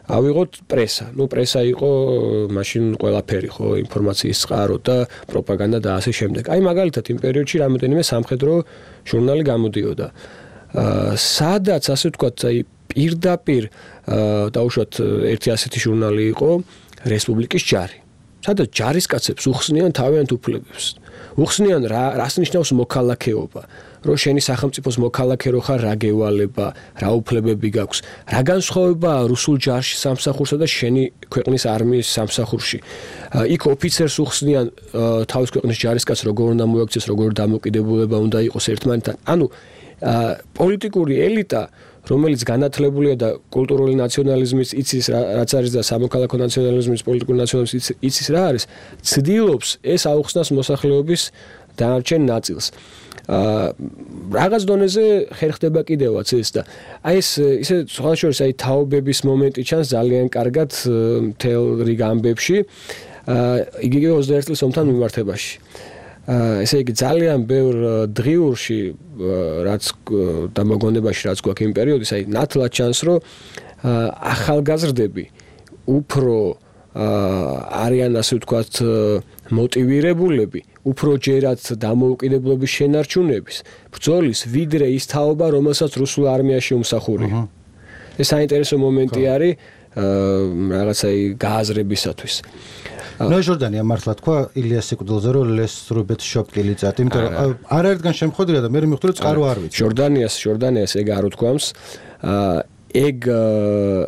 ავიღოთ პრესა. ნუ პრესა იყო მაშინ ყველაფერი, ხო, ინფორმაციის წყარო და პროპაგანდა და ასე შემდეგ. აი მაგალითად იმ პერიოდში რამოდენიმე სამხედრო ჟურნალი გამოდიოდა. აა სადაც ასე ვთქვათ, აი პირდაპირ დაუშვათ ერთი ასეთი ჟურნალი იყო რესპუბლიკის ჯარი. სადაც ჯარისკაცებს უხსნიან თავიანთ უფლებებს. უხსნიან რა რას ნიშნავს მოქალაქეობა. რომ შენი სახელმწიფოს მოქალაქე რო ხარ, რა გევალება, რა უფლებები გაქვს. რა განსხვავებაა რუსულ ჯარში სამსახურსა და შენი ქვეყნის არმიის სამსახურში. იქ ოფიცერს უხსნიან თავის ქვეყნის ჯარისკაცს როგორ უნდა მოექცეს, როგორ დამოკიდებულება უნდა იყოს ერთმანეთთან. ანუ პოლიტიკური ელიტა, რომელიც განათლებულია და კულტურული ნაციონალიზმის იცის რაც არის და სამოქალაქო ნაციონალიზმის, პოლიტიკური ნაციონალიზმის იცის რა არის, ცდილობს ეს აუხსნას მოსახლეობის დანარჩენ ნაწილს. აა რაღაც დონეზე ხერხდება კიდევაც ეს და აი ეს ისე სხვა შორის აი თაობების მომენტი ჩანს ძალიან კარგად მთელ რიგ ამბებში აა იგივე ოცდაერთი წლის ომთან მიმართებაში. აა ესე იგი ძალიან ბევრ დღიურში რაც დამოგონებაში რაც გვაქვს იმ პერიოდის აი ნათლად ჩანს რომ ახალგაზრდები უფრო არიან ასე ვთქვათ მოტივირებულები, უფრო ჯერაც დამოუკიდებლობის შენარჩუნების ბრძოლის, ვიდრე ის თაობა, რომელსაც რუსულ არმიაში უმსახურია. ეს საინტერესო მომენტი არის რაღაცა გააზრებისათვის. ნოე ჟორდანია მართლა თქვა ილიას სიკვდილზე რომ ლეს რობერტ შოპკილი წათ, იმიტომ რომ არაერთგან შემხოდრია და მე მივხვდი რომ წყარო არ ვიცი. ჟორდანიას, ჟორდანიას ეგ არ უთქვამს. ეგ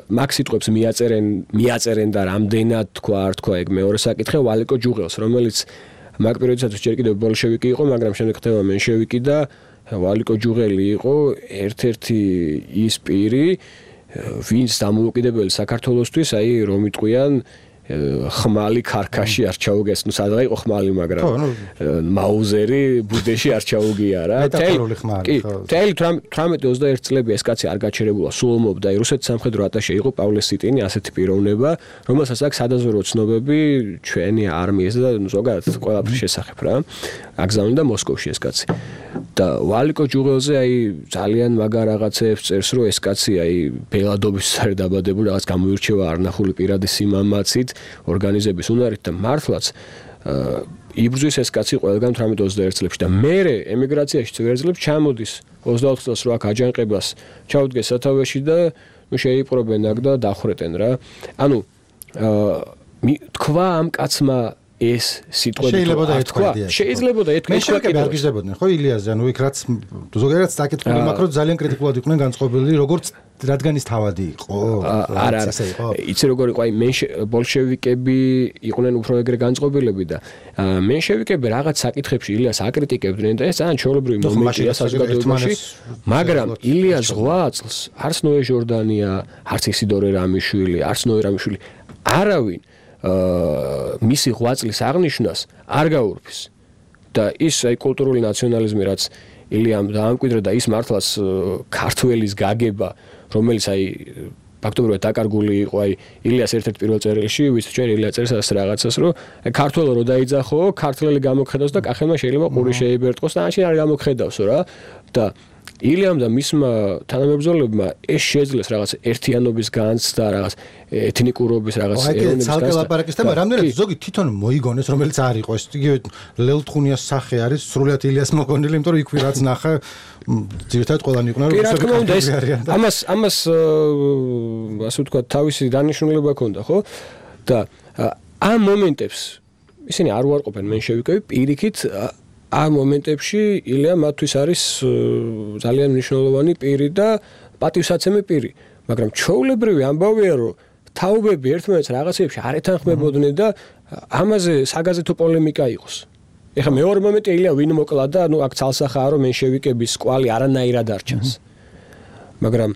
მაგ სიტყვებს მიაწერენ, მიაწერენ და რამდენად თქვა, არ თქვა ეგ მეორე საკითხი ვალიკო ჯუღელს, რომელიც მაგ პერიოდისათვის ჯერ კიდევ ბოლშევიკი იყო, მაგრამ შემდეგ ხდება მენშევიკი და ვალიკო ჯუღელი იყო ერთ-ერთი ის პირი, ვინც დამოუკიდებელი საქართველოსთვის, აი რომ იტყვიან ხმალი ქარქაში არ ჩაუგეს, ნუ სადღა იყო ხმალი, მაგრამ მაუზერი ბუდეში არ ჩაუგია რა. მეტაფორული ხმალი. თელი თვრამეტი ოცდაერთი წლები ეს კაცი არ გაჩერებულა, სულ ომობდა, რუსეთის სამხედრო ატაშე იყო პავლე სიტინი, ასეთი პიროვნება, რომელსაც აქვს სადაზვერვო ცნობები ჩვენი არმიისა და ზოგადად ყველაფრის შესახებ რა. აგზავნიდა მოსკოვში ეს კაცი. და ვალიკო ჯუღელზე აი ძალიან მაგარ რაღაცებს წერს, რომ ეს კაცი აი ბელადობის სარი დაბადებული, რაღაც გამოირჩევა არნახული პირადი სიმამაცით, ორგანიზების უნარით და მართლაც იბრძვის ეს კაცი ყველგან თვრამეტ ოცდაერთ წლებში და მერე ემიგრაციაში წვერძლებს ჩამოდის ოცდაოთხ წელს რო აქ აჯანყებას ჩაუდგეს სათავეში და ნუ შეიპყრობენ აქ და დახრეტენ რა. ანუ თქვა ამ კაცმა ეს სიტყვები თქვა შეიძლება და ეთქვა მენშევიკები არ გიზდებოდნენ ხო ილიაზე, ანუ იქ რაც ზოგადად საკითხული მაქრო ძალიან კრიტიკულად იყვნენ განწყობილი, როგორც რადგან ის თავადი იყო. არა არა იცი როგორ იყო, აი ბოლშევიკები იყვნენ უფრო ეგრე განწყობილები და მენშევიკები რაღაც საკითხებში ილიას აკრიტიკებდნენ და ეს ძალიან ჩვეულებრივი მომენტია საზოგადოებაში, მაგრამ ილიას ოცდაოთხ წელს არც ნოე ჟორდანია, არც ისიდორე რამიშვილი, არც ნოე რამიშვილი არავინ მისი ოცდაოთხ წლის აღნიშვნას არ გაურბის და ის აი კულტურული ნაციონალიზმი რაც ილიამ დაამკვიდრა და ის მართლაც ქართველის გაგება, რომელიც აი ფაქტობრივად დაკარგული იყო, აი ილიას ერთ-ერთ პირველ წერილში, ვის ჩვენ ილია წერს ასე რაღაცას, რომ ქართველო რო დაიძახო, ქართველი გამოგხედავს და კახელმა შეიძლება ყური შეიბერტყოს და ანში არ გამოგხედავსო რა. და ილიამ და მისმა თანამებრძოლებმა ეს შეძლეს რაღაც ერთიანობის განცდა, რაღაც ეთნიკურობის რაღაც ეროვნების განცდა. აი, ლაპარაკის თემა რამდენად ზოგი თვითონ მოიგონეს, რომელიც არ იყო. ეს იგივე ლელთხუნიას სახე არის, სრულიად ილიას მოგონილი, იმიტომ რომ იქვე რაც ნახა, ძირითადად ყველანი იყვნენ რუსები. ამას ამას ასე ვთქვათ, თავისი დანიშნულება ჰქონდა, ხო? და ამ მომენტებს ისინი არ უარყოფენ მენშევიკები, პირიქით ამ მომენტებში ილია მათთვის არის ძალიან მნიშვნელოვანი პირი და პატივსაცემი პირი, მაგრამ ჩვეულებრივი ამბავია, რომ თაობები ერთმანეთს რაღაცებში არ ეთანხმებოდნენ და ამაზე საგაზეთო პოლემიკა იყოს. ეხლა მეორე მომენტი ილია ვინ მოკლა და ნუ აქ ცალსახაა, რომ მენშევიკების კვალი არანაირად არ ჩანს. მაგრამ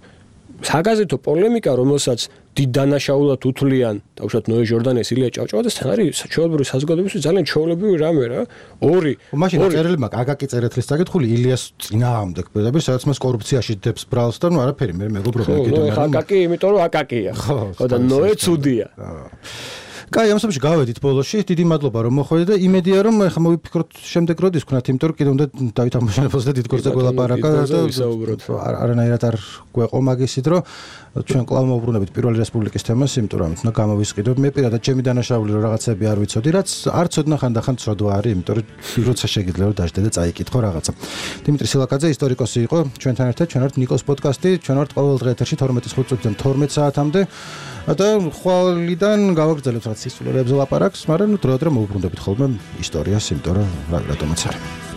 საგაზეთო პოლემიკა, რომელსაც დიდ დანაშაულად უთვლიან, თავშოთ ნოე ჟორდანიას, ილია ჭავჭავაძეს თან არის ჩვეულებრივი საზოგადოებისთვის ძალიან ჩვეულებრივი რამე რა. ორი მაშინ წერილმა აკაკი წერეთლის საკითხული ილიას წინააღმდეგ პირდაპირ, სადაც მას კორუფციაში დებს ბრალს და ნუ არაფერი მე მეგობრობა ეკეთება. ხო, აკაკი, იმიტომ რომ აკაკია. ხო და ნოე ცუდია. კაი, ამ სამში გავედით ბოლოში. დიდი მადლობა რომ მოხვედით და იმედია რომ ახლა მოვიფიქროთ შემდეგ როდის ვქნათ, იმიტომ რომ კიდე უნდა დავით აღმაშენებელს და დიდ գործზე გველაპარაკა და არანაირად არ გვეყო მაგისით, რომ ჩვენ კვლავ მოვუბრუნებით პირველი რესპუბლიკის თემას, იმიტომ რომ ამით უნდა გამოვისყიდოთ. მე პირადად ჩემი დანაშაული რომ რაღაცები არ ვიცოდი, რაც არ ცოდნა ხანდახან ცოდვა არის, იმიტომ რომ როცა შეგიძლია რომ დაждდე და წაიკითხო რაღაცა. დიმიტრი სილაკაძე ისტორიკოსი იყო ჩვენთან ერთად, ჩვენ ვართ ნიკოს პოდკასტი, ჩვენ ვართ ყოველ დღე ეთერში თორმეტი წუთიდან თორმეტ საათამდე და ხვალიდან გავაგრძელებთ რაღაც ისტორიებზე ლაპარაკს, მაგრამ დროდადრო მოვუბრუნდებით ხოლმე ისტორიას, იმიტომ რომ რატომაც არის.